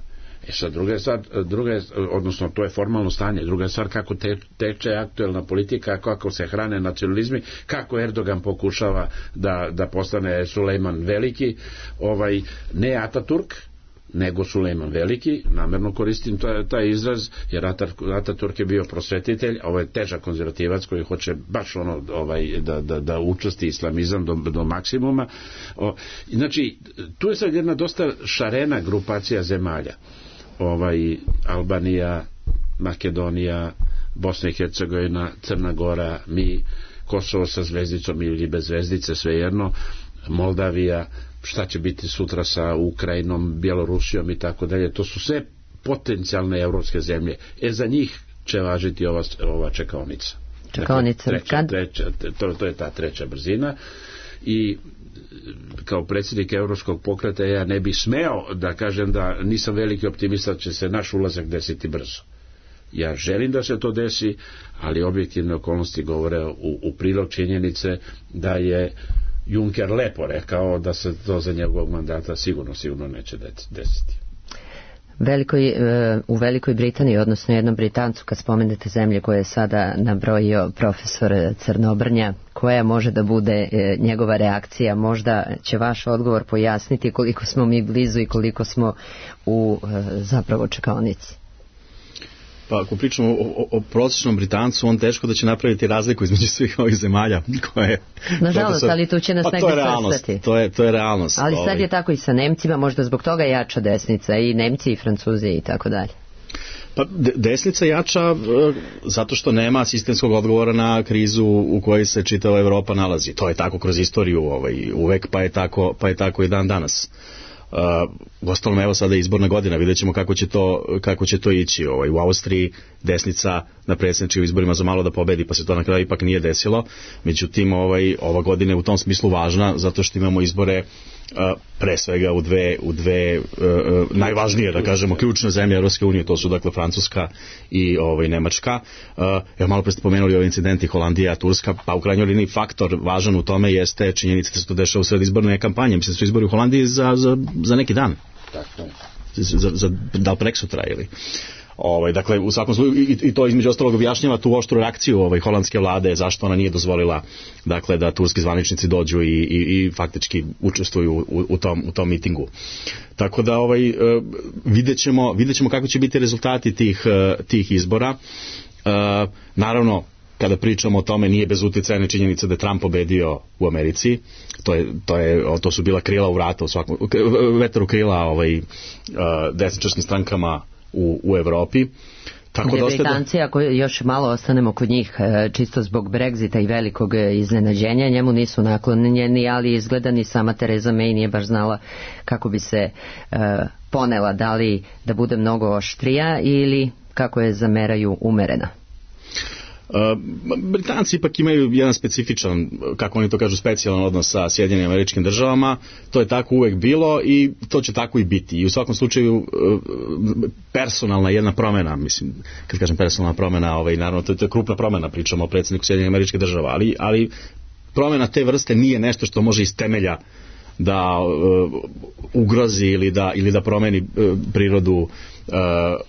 E sad, druga je stvar, druga je, odnosno to je formalno stanje, druga je stvar kako te, teče aktuelna politika, kako se hrane nacionalizmi, kako Erdogan pokušava da, da postane Sulejman Veliki, ovaj, ne Ataturk, nego Sulejman Veliki, namerno koristim taj, taj izraz, jer Ataturk je bio prosvetitelj, a ovo je težak konzervativac koji hoće baš ono ovaj, da, da, da učesti islamizam do, do maksimuma. O, znači, tu je sad jedna dosta šarena grupacija zemalja. Ovaj, Albanija, Makedonija, Bosna i Hercegovina, Crna Gora, mi, Kosovo sa zvezdicom ili bez zvezdice, svejedno, Moldavija, šta će biti sutra sa Ukrajinom, Bjelorusijom i tako dalje. To su sve potencijalne evropske zemlje. E za njih će važiti ova, ova čekaonica. Čekaonica. Dakle, treća, treća, to, to je ta treća brzina. I kao predsjednik Evropskog pokreta ja ne bi smeo da kažem da nisam veliki optimista da će se naš ulazak desiti brzo. Ja želim da se to desi, ali objektivne okolnosti govore u, u prilog činjenice da je Juncker lepo rekao da se to za njegovog mandata sigurno, sigurno neće desiti. Velikoj, u Velikoj Britaniji, odnosno jednom Britancu, kad spomenete zemlje koje je sada nabrojio profesor Crnomrnja, koja može da bude njegova reakcija? Možda će vaš odgovor pojasniti koliko smo mi blizu i koliko smo u zapravo čekaonici. Pa ako pričamo o, o, o prosječnom Britancu, on teško da će napraviti razliku između svih ovih zemalja koje... Nažalost, profesor... ali tu će nas pa, negdje svrstati. To je, to je realnost. Ali sad ovaj. je tako i sa Nemcima, možda zbog toga jača desnica, i Nemci i Francuzi i tako dalje. Pa desnica jača zato što nema sistemskog odgovora na krizu u kojoj se čitava Evropa nalazi. To je tako kroz istoriju ovaj, uvek, pa je tako, pa je tako i dan danas. Uh, uostalom, evo sada je izborna godina, vidjet ćemo kako će to, kako će to ići. Ovaj, u Austriji desnica na predsjedničkim izborima za malo da pobedi, pa se to na kraju ipak nije desilo. Međutim, ovaj, ova godina je u tom smislu važna zato što imamo izbore uh, pre svega u dve, u dve uh, najvažnije, da kažemo, ključne zemlje Evropske unije, to su dakle Francuska i ovaj, Nemačka. Uh, evo malo pre ste pomenuli ovi incidenti Holandija, Turska, pa u krajnjoj liniji faktor važan u tome jeste činjenica da se to dešava u sred izborne kampanje. Mislim da su izbori u Holandiji za, za, za neki dan. Tako je. Za, za, da li preksutra ili... Ovaj, dakle, u svakom slučaju i, i to između ostalog objašnjava tu oštru reakciju ovaj, holandske vlade, zašto ona nije dozvolila dakle, da turski zvaničnici dođu i, i, i faktički učestvuju u, u, tom, u tom mitingu. Tako da ovaj, vidjet ćemo, vidjet ćemo kako će biti rezultati tih, tih izbora. Naravno, kada pričamo o tome, nije bez utjecajne činjenice da je Trump pobedio u Americi. To je to je to su bila krila u vrata u svakom vetar u krila ovaj desničarskim strankama u u Evropi. Tako da Britanci, ako još malo ostanemo kod njih, čisto zbog Brexita i velikog iznenađenja, njemu nisu naklonjeni, ali izgleda ni sama Theresa May nije baš znala kako bi se uh, ponela, da li da bude mnogo oštrija ili kako je zameraju umerena. Uh, Britanci ipak imaju jedan specifičan, kako oni to kažu, specijalan odnos sa Sjedinjenim Američkim Državama. To je tako uvek bilo i to će tako i biti. I u svakom slučaju uh, personalna jedna promjena, mislim, kad kažem personalna promjena, ovaj, naravno to je, to je krupna promjena, pričamo o predsjedniku Sjedinjenih Američkih Država, ali, ali promjena te vrste nije nešto što može iz temelja da uh, ugrozi ili da, ili da promeni uh, prirodu uh,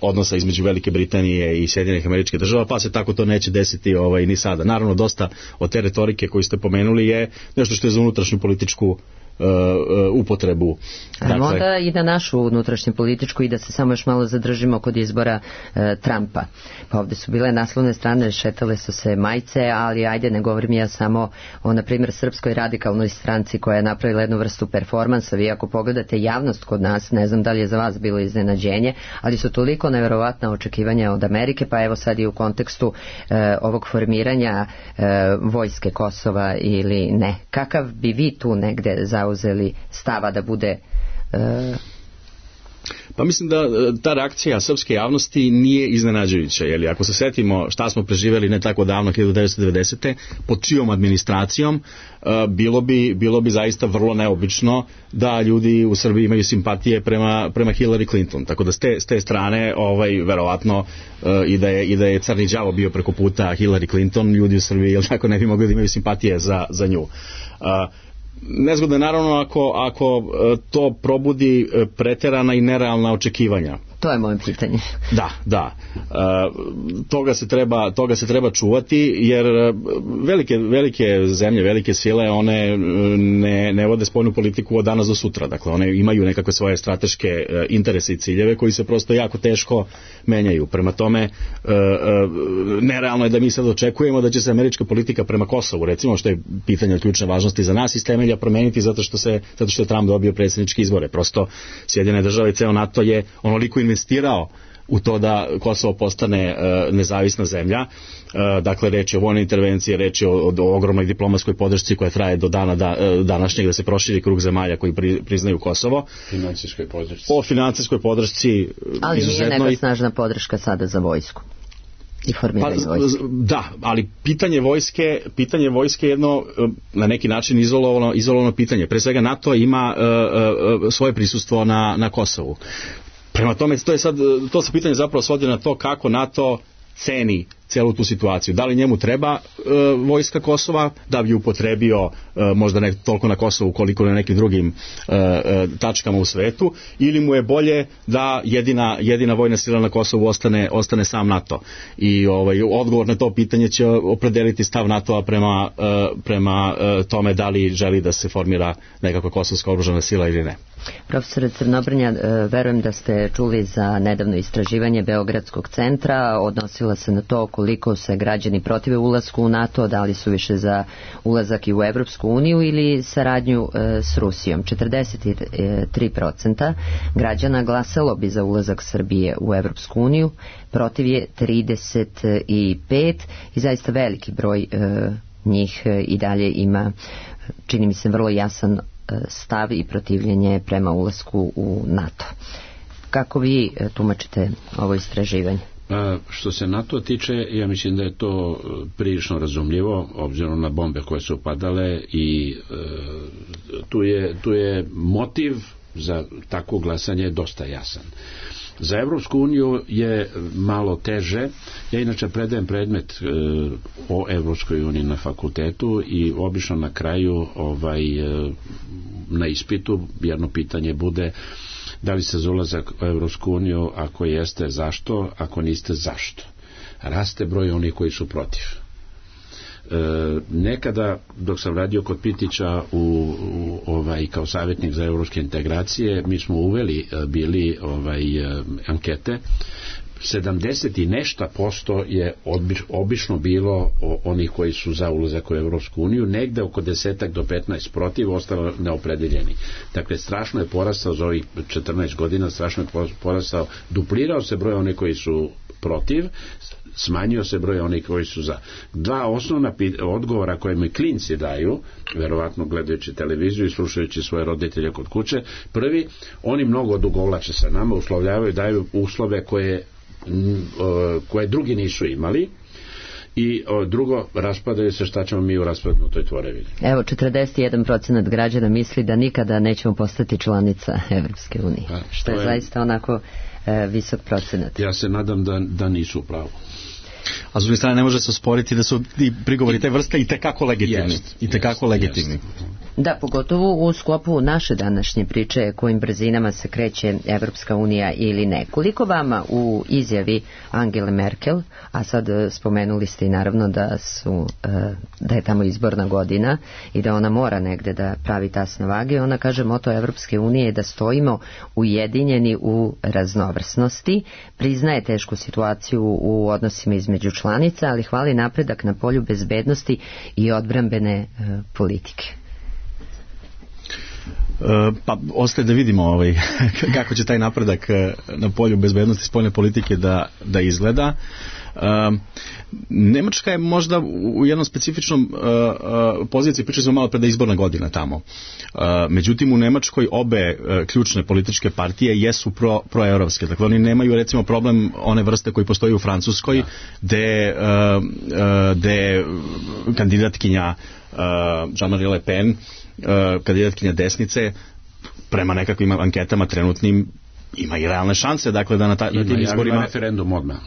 odnosa između Velike Britanije i Sjedinjenih Američkih Država, pa se tako to neće desiti ovaj, ni sada. Naravno, dosta od te retorike koju ste pomenuli je nešto što je za unutrašnju političku Uh, uh, upotrebu. Dakle, onda i na našu unutrašnju političku i da se samo još malo zadržimo kod izbora uh, Trumpa. Pa ovdje su bile naslovne strane, šetale su se majice, ali ajde, ne govorim ja samo o, na primjer, Srpskoj radikalnoj stranci koja je napravila jednu vrstu performansa. Vi ako pogledate javnost kod nas, ne znam da li je za vas bilo iznenađenje, ali su toliko nevjerovatna očekivanja od Amerike, pa evo sad i u kontekstu uh, ovog formiranja uh, vojske Kosova ili ne. Kakav bi vi tu negde za uzeli stava da bude uh... Pa mislim da ta reakcija srpske javnosti nije iznenađujuća, jer ako se setimo šta smo preživjeli ne tako davno, hiljadu devetsto devedesete pod čijom administracijom, bilo bi, bilo bi zaista vrlo neobično da ljudi u Srbiji imaju simpatije prema, prema Hillary Clinton, tako da s te, s te strane ovaj, verovatno i da je, i da je crni đavo bio preko puta Hillary Clinton, ljudi u Srbiji jel tako ne bi mogli da imaju simpatije za, za nju. Nezgodno je naravno ako, ako to probudi preterana i nerealna očekivanja. To je moje pitanje. Da, da. E, toga se treba, toga se treba čuvati, jer velike, velike zemlje, velike sile, one ne, ne vode spoljnu politiku od danas do sutra. Dakle, one imaju nekakve svoje strateške interese i ciljeve koji se prosto jako teško menjaju. Prema tome, e, e, nerealno je da mi sad očekujemo da će se američka politika prema Kosovu, recimo, što je pitanje od ključne važnosti za nas, iz temelja promeniti zato što se, zato što je Trump dobio predsjedničke izbore. Prosto Sjedinjene države i ceo NATO je onoliko investirao u to da Kosovo postane uh, nezavisna zemlja. Uh, dakle, reč je o vojnoj intervenciji, reč je o, o, o ogromnoj diplomatskoj podršci koja traje do dana da, uh, današnjeg, da se proširi krug zemalja koji pri, priznaju Kosovo. Financijskoj podršci. O financijskoj podršci. Ali nije neka snažna podrška sada za vojsku. I formiranje pa, vojske. Da, ali pitanje vojske, pitanje vojske je jedno na neki način izolovano, izolovano pitanje. Pre svega NATO ima uh, uh, svoje prisustvo na, na Kosovu. Prema tome, to je sad, to se pitanje zapravo svodi na to kako NATO ceni celu tu situaciju. Da li njemu treba e, vojska Kosova da bi upotrebio e, možda ne toliko na Kosovu koliko na nekim drugim e, e, tačkama u svetu, ili mu je bolje da jedina, jedina vojna sila na Kosovu ostane, ostane sam NATO. I ovaj, odgovor na to pitanje će opredeliti stav NATO-a prema, e, prema e, tome da li želi da se formira nekakva kosovska oružana sila ili ne. Profesore Crnobrnja, verujem da ste čuli za nedavno istraživanje Beogradskog centra, odnosila se na to koliko se građani protive ulasku u NATO, da li su više za ulazak i u Evropsku uniju ili saradnju e, s Rusijom. četrdeset tri posto građana glasalo bi za ulazak Srbije u Evropsku uniju, protiv je trideset pet i zaista veliki broj e, njih e, i dalje ima, čini mi se, vrlo jasan stav i protivljenje prema ulasku u NATO. Kako vi tumačite ovo istraživanje? A, što se NATO tiče, ja mislim da je to prilično razumljivo, obzirom na bombe koje su upadale i e, tu, je, tu je motiv za takvo glasanje dosta jasan. Za Evropsku uniju je malo teže. Ja inače predajem predmet e, o Evropskoj uniji na fakultetu i obično na kraju ovaj, e, na ispitu jedno pitanje bude da li ste za ulazak u Evropsku uniju, ako jeste zašto, ako niste zašto. Raste broj onih koji su protiv. E, nekada dok sam radio kod Pitića u, u, ovaj, kao savjetnik za evropske integracije, mi smo uveli bili ovaj, ankete sedamdeset i nešto posto je odbiš, obično bilo o, onih koji su za ulazak u Evropsku uniju, negde oko desetak do petnaest protiv, ostalo neopredeljeni. Dakle, strašno je porastao za ovih četrnaest godina, strašno je porastao, duplirao se broj onih koji su protiv, smanjio se broj onih koji su za. Dva osnovna odgovora koje mi klinci daju, verovatno gledajući televiziju i slušajući svoje roditelje kod kuće, prvi, oni mnogo odugovlače sa nama, uslovljavaju, daju uslove koje koje drugi nisu imali, i o, drugo, raspadaju se, šta ćemo mi u raspadnutoj tvorevini. Evo, četrdeset jedan procenat građana misli da nikada nećemo postati članica Evropske unije, pa, što je, je zaista onako e, visok procenat. Ja se nadam da, da nisu u pravu. A s druge strane ne može se osporiti da su ti prigovori te vrste i tekako legitimni. Jest, I tekako jest, legitimni. Jest. Da, pogotovo u sklopu naše današnje priče kojim brzinama se kreće Evropska unija ili ne. Koliko vama u izjavi Angele Merkel, a sad spomenuli ste i naravno da su da je tamo izborna godina i da ona mora negde da pravi tasne vage, ona kaže moto Evropske unije je da stojimo ujedinjeni u raznovrsnosti, priznaje tešku situaciju u odnosima između članica, ali hvali napredak na polju bezbednosti i odbrambene e, politike. Pa ostaje da vidimo ovaj, kako će taj napredak na polju bezbednosti i spoljne politike da, da izgleda. Nemačka je možda u jednom specifičnom poziciji, pričali smo malo pre da je izborna godina tamo. Međutim, u Nemačkoj obe ključne političke partije jesu pro, proevropske. Dakle, oni nemaju recimo problem one vrste koji postoji u Francuskoj, gde, gde kandidatkinja Jean-Marie Le Pen, kandidatkinja desnice, prema nekakvim anketama trenutnim ima i realne šanse, dakle da na, ta, na tim izborima referendum odmah.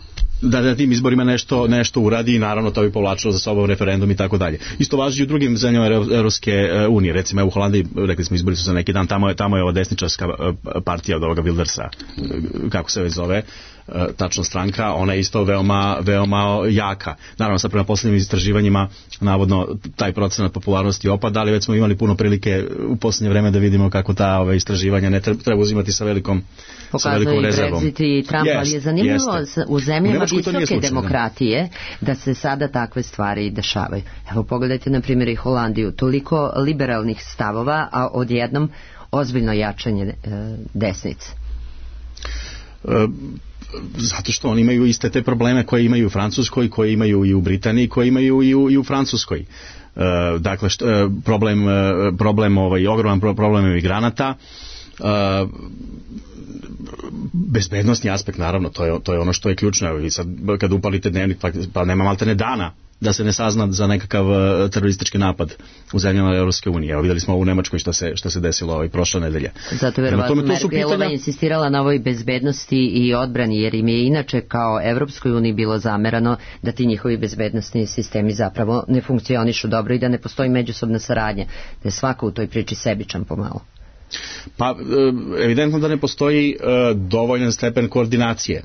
Da na tim izborima nešto, nešto uradi i naravno to bi povlačilo za sobom referendum i tako dalje. Isto važi i u drugim zemljama Evropske unije. Recimo u Holandiji, rekli smo, izbori su za neki dan, tamo je, tamo je ova desničarska partija od ovoga Wildersa, kako se već zove, tačno stranka, ona je isto veoma, veoma jaka. Naravno, sad prema posljednjim istraživanjima navodno taj procenat popularnosti opada, ali već smo imali puno prilike u posljednje vreme da vidimo kako ta ove istraživanja ne treba, treba uzimati sa velikom, sa velikom rezervom. Pokazuje i Brexit i Trump, ali je zanimljivo jeste. U zemljama visoke slučaj, demokratije da. da se sada takve stvari dešavaju. Evo pogledajte na primjer i Holandiju, toliko liberalnih stavova, a odjednom ozbiljno jačanje e, desnice. E, zato što oni imaju iste te probleme koje imaju u Francuskoj, koje imaju i u Britaniji, koje imaju i u, i u Francuskoj. E, dakle, što, problem, problem ovaj, ogroman problem emigranata, e, bezbednostni aspekt, naravno, to je, to je ono što je ključno. Evo, i sad kad upalite dnevnik, pa, pa nema maltene dana da se ne sazna za nekakav uh, teroristički napad u zemljama Evropske unije. Evo vidjeli smo u Nemačkoj što se, što se desilo ovaj prošle nedelje. Zato verovatno Merkelova pitanja... insistirala na ovoj bezbednosti i odbrani, jer im je inače kao Evropskoj uniji bilo zamerano da ti njihovi bezbednostni sistemi zapravo ne funkcionišu dobro i da ne postoji međusobna saradnja, da je svako u toj priči sebičan pomalo. Pa evidentno da ne postoji uh, dovoljan stepen koordinacije.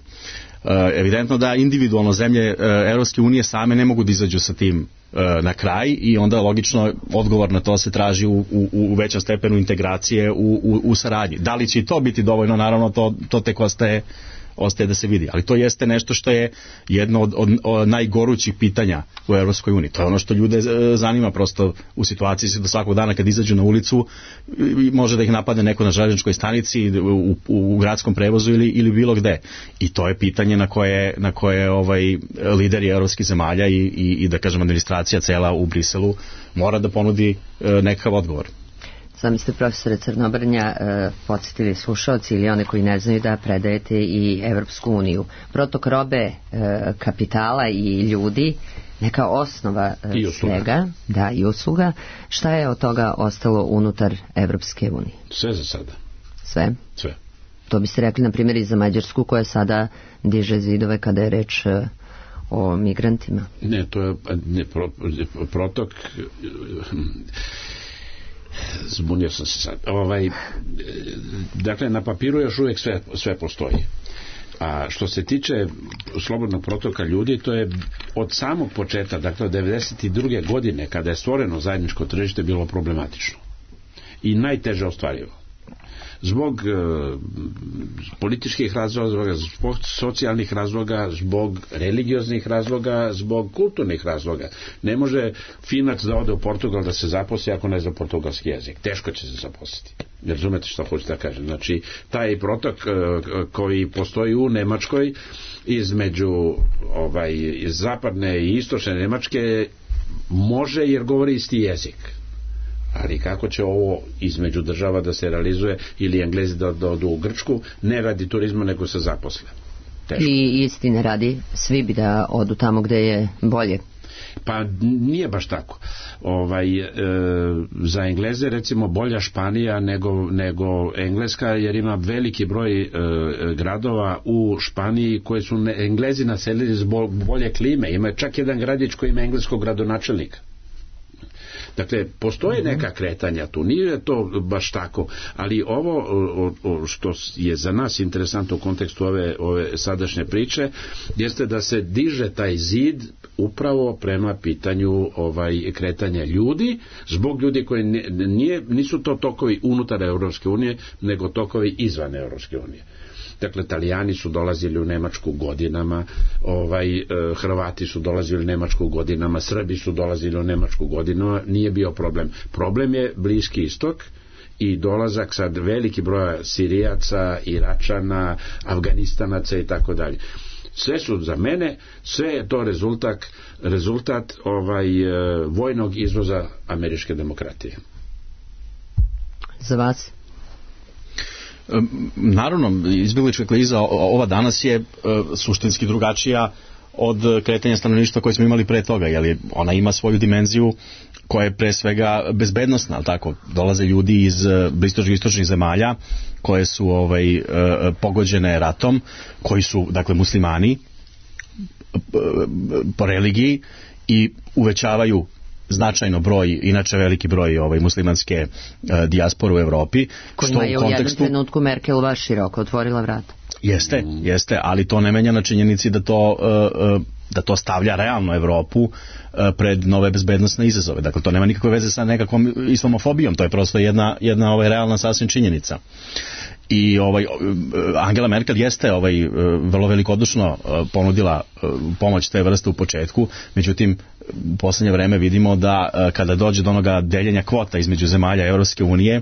Uh, evidentno da individualno zemlje uh, Evropske unije same ne mogu da izađu sa tim uh, na kraj i onda logično odgovor na to se traži u, u, u većem stepenu integracije u, u, u saradnji. Da li će i to biti dovoljno, naravno to, to tek ostaje ostaje da se vidi, ali to jeste nešto što je jedno od, od, od najgorućih pitanja u Evropskoj uniji. To je ono što ljude zanima prosto u situaciji da svakog dana kad izađu na ulicu može da ih napadne neko na železničkoj stanici, u, u, u gradskom prevozu ili, ili bilo gde. I to je pitanje na koje, na koje ovaj, lideri evropskih zemalja i, i, i da kažem administracija cela u Briselu mora da ponudi e, nekakav odgovor. Sami ste, profesore Crnobrnja, e, podsjetili slušalci ili one koji ne znaju da predajete i Evropsku uniju. Protok robe, e, kapitala i ljudi, neka osnova e, svega, da, i usluga. Šta je od toga ostalo unutar Evropske unije? Sve za sada. Sve? Sve. To biste rekli, na primjer, i za Mađarsku, koja sada diže zidove kada je reč e, o migrantima? Ne, to je ne, pro, protok... Zbunio sam se sad. Ovaj, dakle, na papiru još uvijek sve, sve postoji. A što se tiče slobodnog protoka ljudi, to je od samog početka, dakle od devedeset druge godine, kada je stvoreno zajedničko tržište, bilo problematično. I najteže ostvarivo. zbog e, političkih razloga, zbog socijalnih razloga, zbog religioznih razloga, zbog kulturnih razloga. Ne može Finac da ode u Portugal da se zaposli ako ne zna portugalski jezik. Teško će se zaposliti. Razumete što hoćete da kažem? Znači, taj protok e, koji postoji u Nemačkoj između ovaj, zapadne i istočne Nemačke može jer govori isti jezik. Ali kako će ovo između država da se realizuje ili Englezi da, da odu u Grčku, ne radi turizma nego se zaposle. Teško. I istine radi, svi bi da odu tamo gde je bolje. Pa nije baš tako. Ovaj, e, za Engleze recimo bolja Španija nego, nego Engleska, jer ima veliki broj e, gradova u Španiji koje su ne, Englezi naselili zbog bolje klime. Ima čak jedan gradić koji ima engleskog gradonačelnika. Dakle, postoje neka kretanja tu, nije to baš tako, ali ovo o, o, što je za nas interesantno u kontekstu ove, ove sadašnje priče, jeste da se diže taj zid upravo prema pitanju ovaj, kretanja ljudi, zbog ljudi koji nije, nisu to tokovi unutar Europske unije, nego tokovi izvan Europske unije. Dakle, Italijani su dolazili u Nemačku godinama, ovaj, Hrvati su dolazili u Nemačku godinama, Srbi su dolazili u Nemačku godinama, nije bio problem. Problem je Bliski istok i dolazak sad veliki broja Sirijaca, Iračana, Afganistanaca i tako dalje. Sve su za mene, sve je to rezultat, rezultat ovaj, vojnog izvoza američke demokratije. Za vas? Naravno, izbjeglička kriza ova danas je suštinski drugačija od kretanja stanovništva koje smo imali pre toga, jer ona ima svoju dimenziju koja je pre svega bezbednostna, ali tako, dolaze ljudi iz bliskoistočnih istočnih zemalja koje su ovaj, pogođene ratom, koji su, dakle, muslimani po religiji i uvećavaju značajno broj, inače veliki broj ovaj, muslimanske uh, dijaspore u Evropi. Kojima je u kontekstu... jednom trenutku Merkelova široko otvorila vrata. Jeste, jeste, ali to ne menja na činjenici da to, uh, uh, da to stavlja realno Evropu uh, pred nove bezbednosne izazove. Dakle, to nema nikakve veze sa nekakvom islamofobijom, to je prosto jedna, jedna ovaj, realna sasvim činjenica. I ovaj Angela Merkel jeste ovaj vrlo velikodušno ponudila pomoć te vrste u početku, međutim u poslednje vreme vidimo da kada dođe do onoga deljenja kvota između zemalja Evropske unije,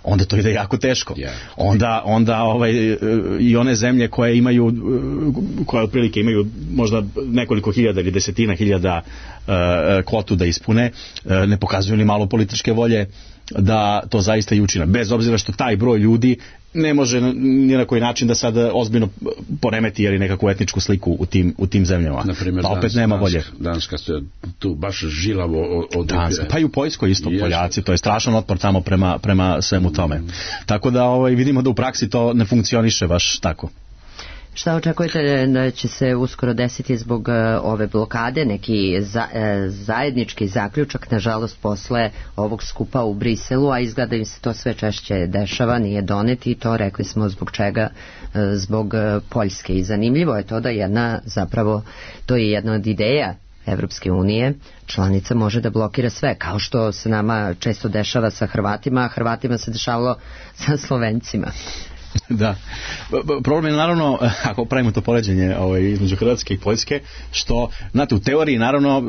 onda to ide jako teško. Yeah. Onda, onda ovaj, i one zemlje koje imaju, koje otprilike imaju možda nekoliko hiljada ili desetina hiljada uh, kvotu da ispune, uh, ne pokazuju ni malo političke volje da to zaista i učine. Bez obzira što taj broj ljudi ne može ni na koji način da sad ozbiljno poremeti ili nekakvu etničku sliku u tim, u tim zemljama. Naprimjer, pa opet Danska, nema volje. Danska se tu baš žilavo od... Danska, pa i u Poljskoj isto Poljaci, to je strašan otpor tamo prema, prema svemu tome. Mm. Tako da ovaj, vidimo da u praksi to ne funkcioniše baš tako. Šta očekujete da će se uskoro desiti zbog uh, ove blokade, neki za, uh, zajednički zaključak, nažalost posle ovog skupa u Briselu, a izgleda im se to sve češće dešava, nije donet i to rekli smo zbog čega, uh, zbog uh, Poljske. I zanimljivo je to da jedna, zapravo, to je jedna od ideja Evropske unije, članica može da blokira sve, kao što se nama često dešava sa Hrvatima, a Hrvatima se dešavalo sa Slovencima. Da. Problem je naravno, ako pravimo to poređenje ovaj, između Hrvatske i Poljske, što, znate, u teoriji naravno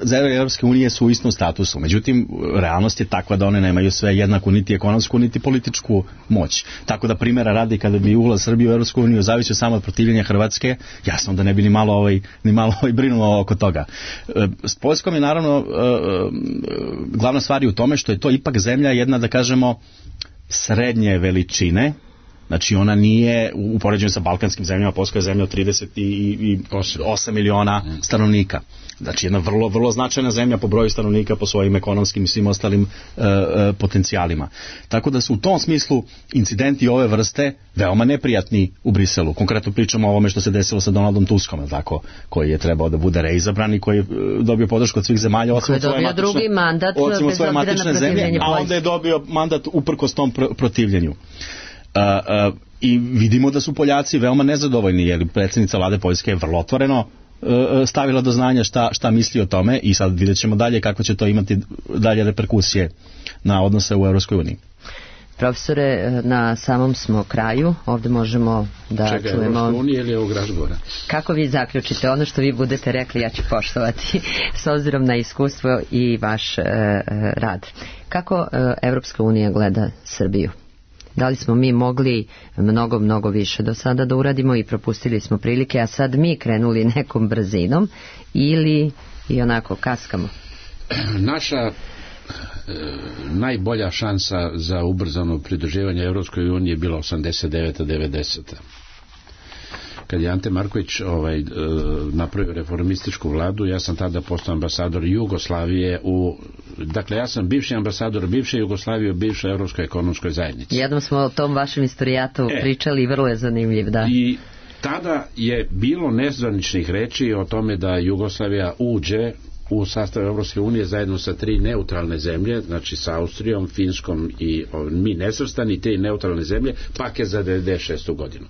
zemlje Europske unije su u istom statusu, međutim realnost je takva da one nemaju sve jednaku niti ekonomsku niti političku moć. Tako da primjera radi, kada bi ulaz Srbije u Europsku uniju zavisio samo od protivljenja Hrvatske, jasno da ne bi ni malo ovaj, ni malo ovaj brinulo oko toga. S Poljskom je naravno glavna stvar je u tome što je to ipak zemlja jedna, da kažemo, srednje veličine. Znači ona nije, u poređenju sa balkanskim zemljama, Poljska je zemlja od trideset osam miliona stanovnika. Znači jedna vrlo, vrlo značajna zemlja po broju stanovnika, po svojim ekonomskim i svim ostalim e, e, potencijalima. Tako da su u tom smislu incidenti ove vrste veoma neprijatni u Briselu. Konkretno pričamo o ovome što se desilo sa Donaldom Tuskom, tako, koji je trebao da bude reizabran i koji je dobio podršku od svih zemalja. Koji je dobio matične, drugi mandat bez obzira na protivljenje, a onda je dobio mandat uprkos tom pr- protivljenju. Uh, uh, i vidimo da su Poljaci veoma nezadovoljni, jer predsjednica vlade Poljske je vrlo otvoreno uh, stavila do znanja šta, šta misli o tome i sad vidjet ćemo dalje kako će to imati dalje reperkusije na odnose u Europskoj uniji. Profesore, na samom smo kraju, ovde možemo da Čega, čujemo... Čega, Evropska unija ili ovog razgovora? Kako vi zaključite? Ono što vi budete rekli, ja ću poštovati s obzirom na iskustvo i vaš e, rad. Kako e, Evropska unija gleda Srbiju? Da li smo mi mogli mnogo, mnogo više do sada da uradimo i propustili smo prilike, a sad mi krenuli nekom brzinom ili i onako kaskamo? Naša e, najbolja šansa za ubrzano pridruživanje Evropskoj uniji je bila osamdeset deveta devedeseta Kad je Ante Marković ovaj, e, napravio reformističku vladu, ja sam tada postao ambasador Jugoslavije u... Dakle, ja sam bivši ambasador bivše Jugoslavije u bivšoj Evropskoj ekonomskoj zajednici. Jednom smo o tom vašem istorijatu e, pričali i vrlo je zanimljiv, da. I tada je bilo nezvaničnih reči o tome da Jugoslavija uđe u sastav Evropske unije zajedno sa tri neutralne zemlje, znači sa Austrijom, Finskom i o, mi nesvrstani, tri neutralne zemlje, paket za devedeset šestu godinu.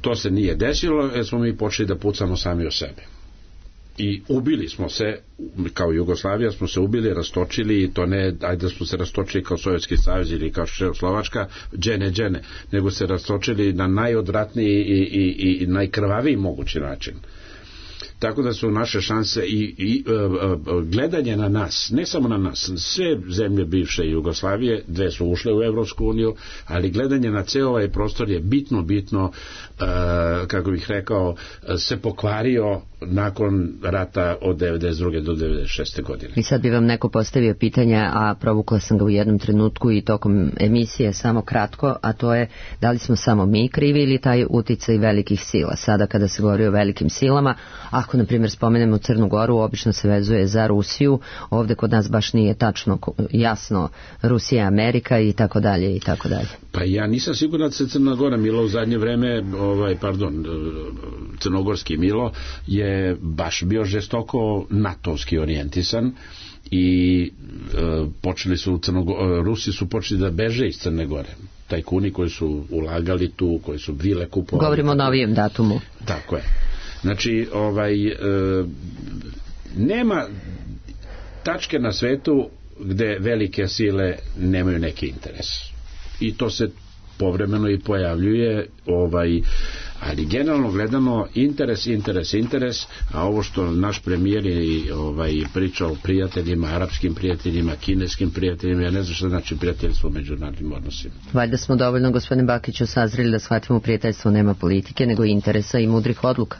To se nije desilo, jer smo mi počeli da pucamo sami o sebe. I ubili smo se, kao Jugoslavija smo se ubili, rastočili, i to ne, ajde da smo se rastočili kao Sovjetski savez ili kao Čehoslovačka, džene, džene, nego se rastočili na najodvratniji i, i, i najkrvaviji mogući način. Tako da su naše šanse i, i uh, gledanje na nas, ne samo na nas, sve zemlje bivše Jugoslavije, dve su ušle u Evropsku uniju, ali gledanje na ceo ovaj prostor je bitno, bitno, uh, kako bih rekao, se pokvario nakon rata od devedeset druge do devedeset šeste godine. I sad bi vam neko postavio pitanja, a provukla sam ga u jednom trenutku i tokom emisije samo kratko, a to je da li smo samo mi krivi ili taj uticaj velikih sila. Sada kada se govori o velikim silama, ako na primjer spomenemo Crnu Goru, obično se vezuje za Rusiju, ovde kod nas baš nije tačno jasno Rusija, Amerika i tako dalje i tako dalje. Pa ja nisam siguran da se Crna Gora Milo u zadnje vreme, ovaj, pardon, crnogorski Milo je baš bio žestoko natovski orijentisan i e, počeli su Crnogo, Rusi su počeli da beže iz Crne Gore. Tajkuni koji su ulagali tu, koji su vile kupovali. Govorimo o novijem datumu. Tako je. Znači, ovaj, e, nema tačke na svetu gde velike sile nemaju neki interes. I to se povremeno i pojavljuje, ovaj, ali generalno gledano interes, interes, interes, a ovo što naš premijer je ovaj, pričao o prijateljima, arapskim prijateljima, kineskim prijateljima, ja ne znam što znači prijateljstvo u međunarodnim odnosima. Valjda smo dovoljno, gospodine Bakiću, sazreli da shvatimo prijateljstvo nema politike, nego interesa i mudrih odluka.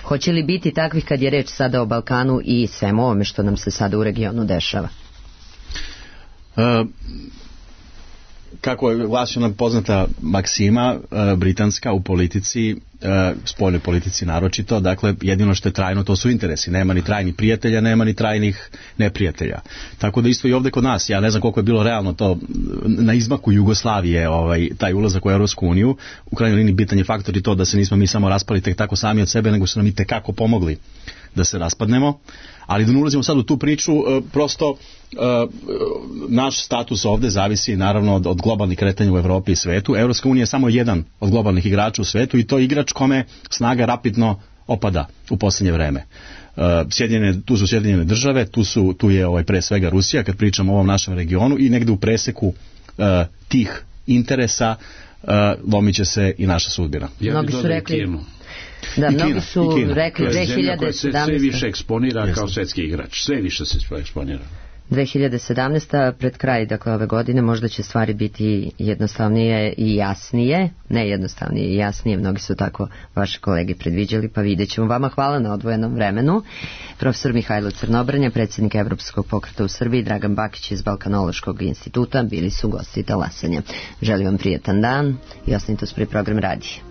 Hoće li biti takvih kad je reč sada o Balkanu i svemu ovome što nam se sada u regionu dešava? Uh, kako je glasila poznata maksima uh, britanska u politici, uh, spoljnoj politici naročito, dakle jedino što je trajno to su interesi, nema ni trajnih prijatelja, nema ni trajnih neprijatelja. Tako da isto i ovde kod nas, ja ne znam koliko je bilo realno to na izmaku Jugoslavije, ovaj, taj ulazak u Evropsku uniju, u krajnjoj liniji bitan je faktor i to da se nismo mi samo raspali tek tako sami od sebe, nego su nam i tekako pomogli da se raspadnemo, ali da ne ulazimo sad u tu priču, prosto naš status ovde zavisi naravno od, od globalnih kretanja u Evropi i svetu. Evropska unija je samo jedan od globalnih igrača u svetu i to je igrač kome snaga rapidno opada u posljednje vreme. Sjedinjene, tu su Sjedinjene države, tu, su, tu je ovaj, pre svega Rusija, kad pričamo o ovom našem regionu, i negde u preseku uh, tih interesa uh, lomit će se i naša sudbina. Ja Mnogi su rekli... Da, I mnogi Kina, su rekli dve hiljade sedamnaeste. Sve više eksponira Jasne. Kao svetski igrač. Sve više se eksponira. dve hiljade sedamnaesta pred kraj, dakle ove godine, možda će stvari biti jednostavnije i jasnije. Ne jednostavnije i jasnije, mnogi su tako vaše kolege predviđali, pa vidjet ćemo. Vama hvala na odvojenom vremenu. Profesor Mihajlo Crnobrnja, predsjednik Evropskog pokreta u Srbiji, Dragan Bakić iz Balkanološkog instituta, bili su gosti talasanja. Želim vam prijetan dan i ostanite uz prvi program radija.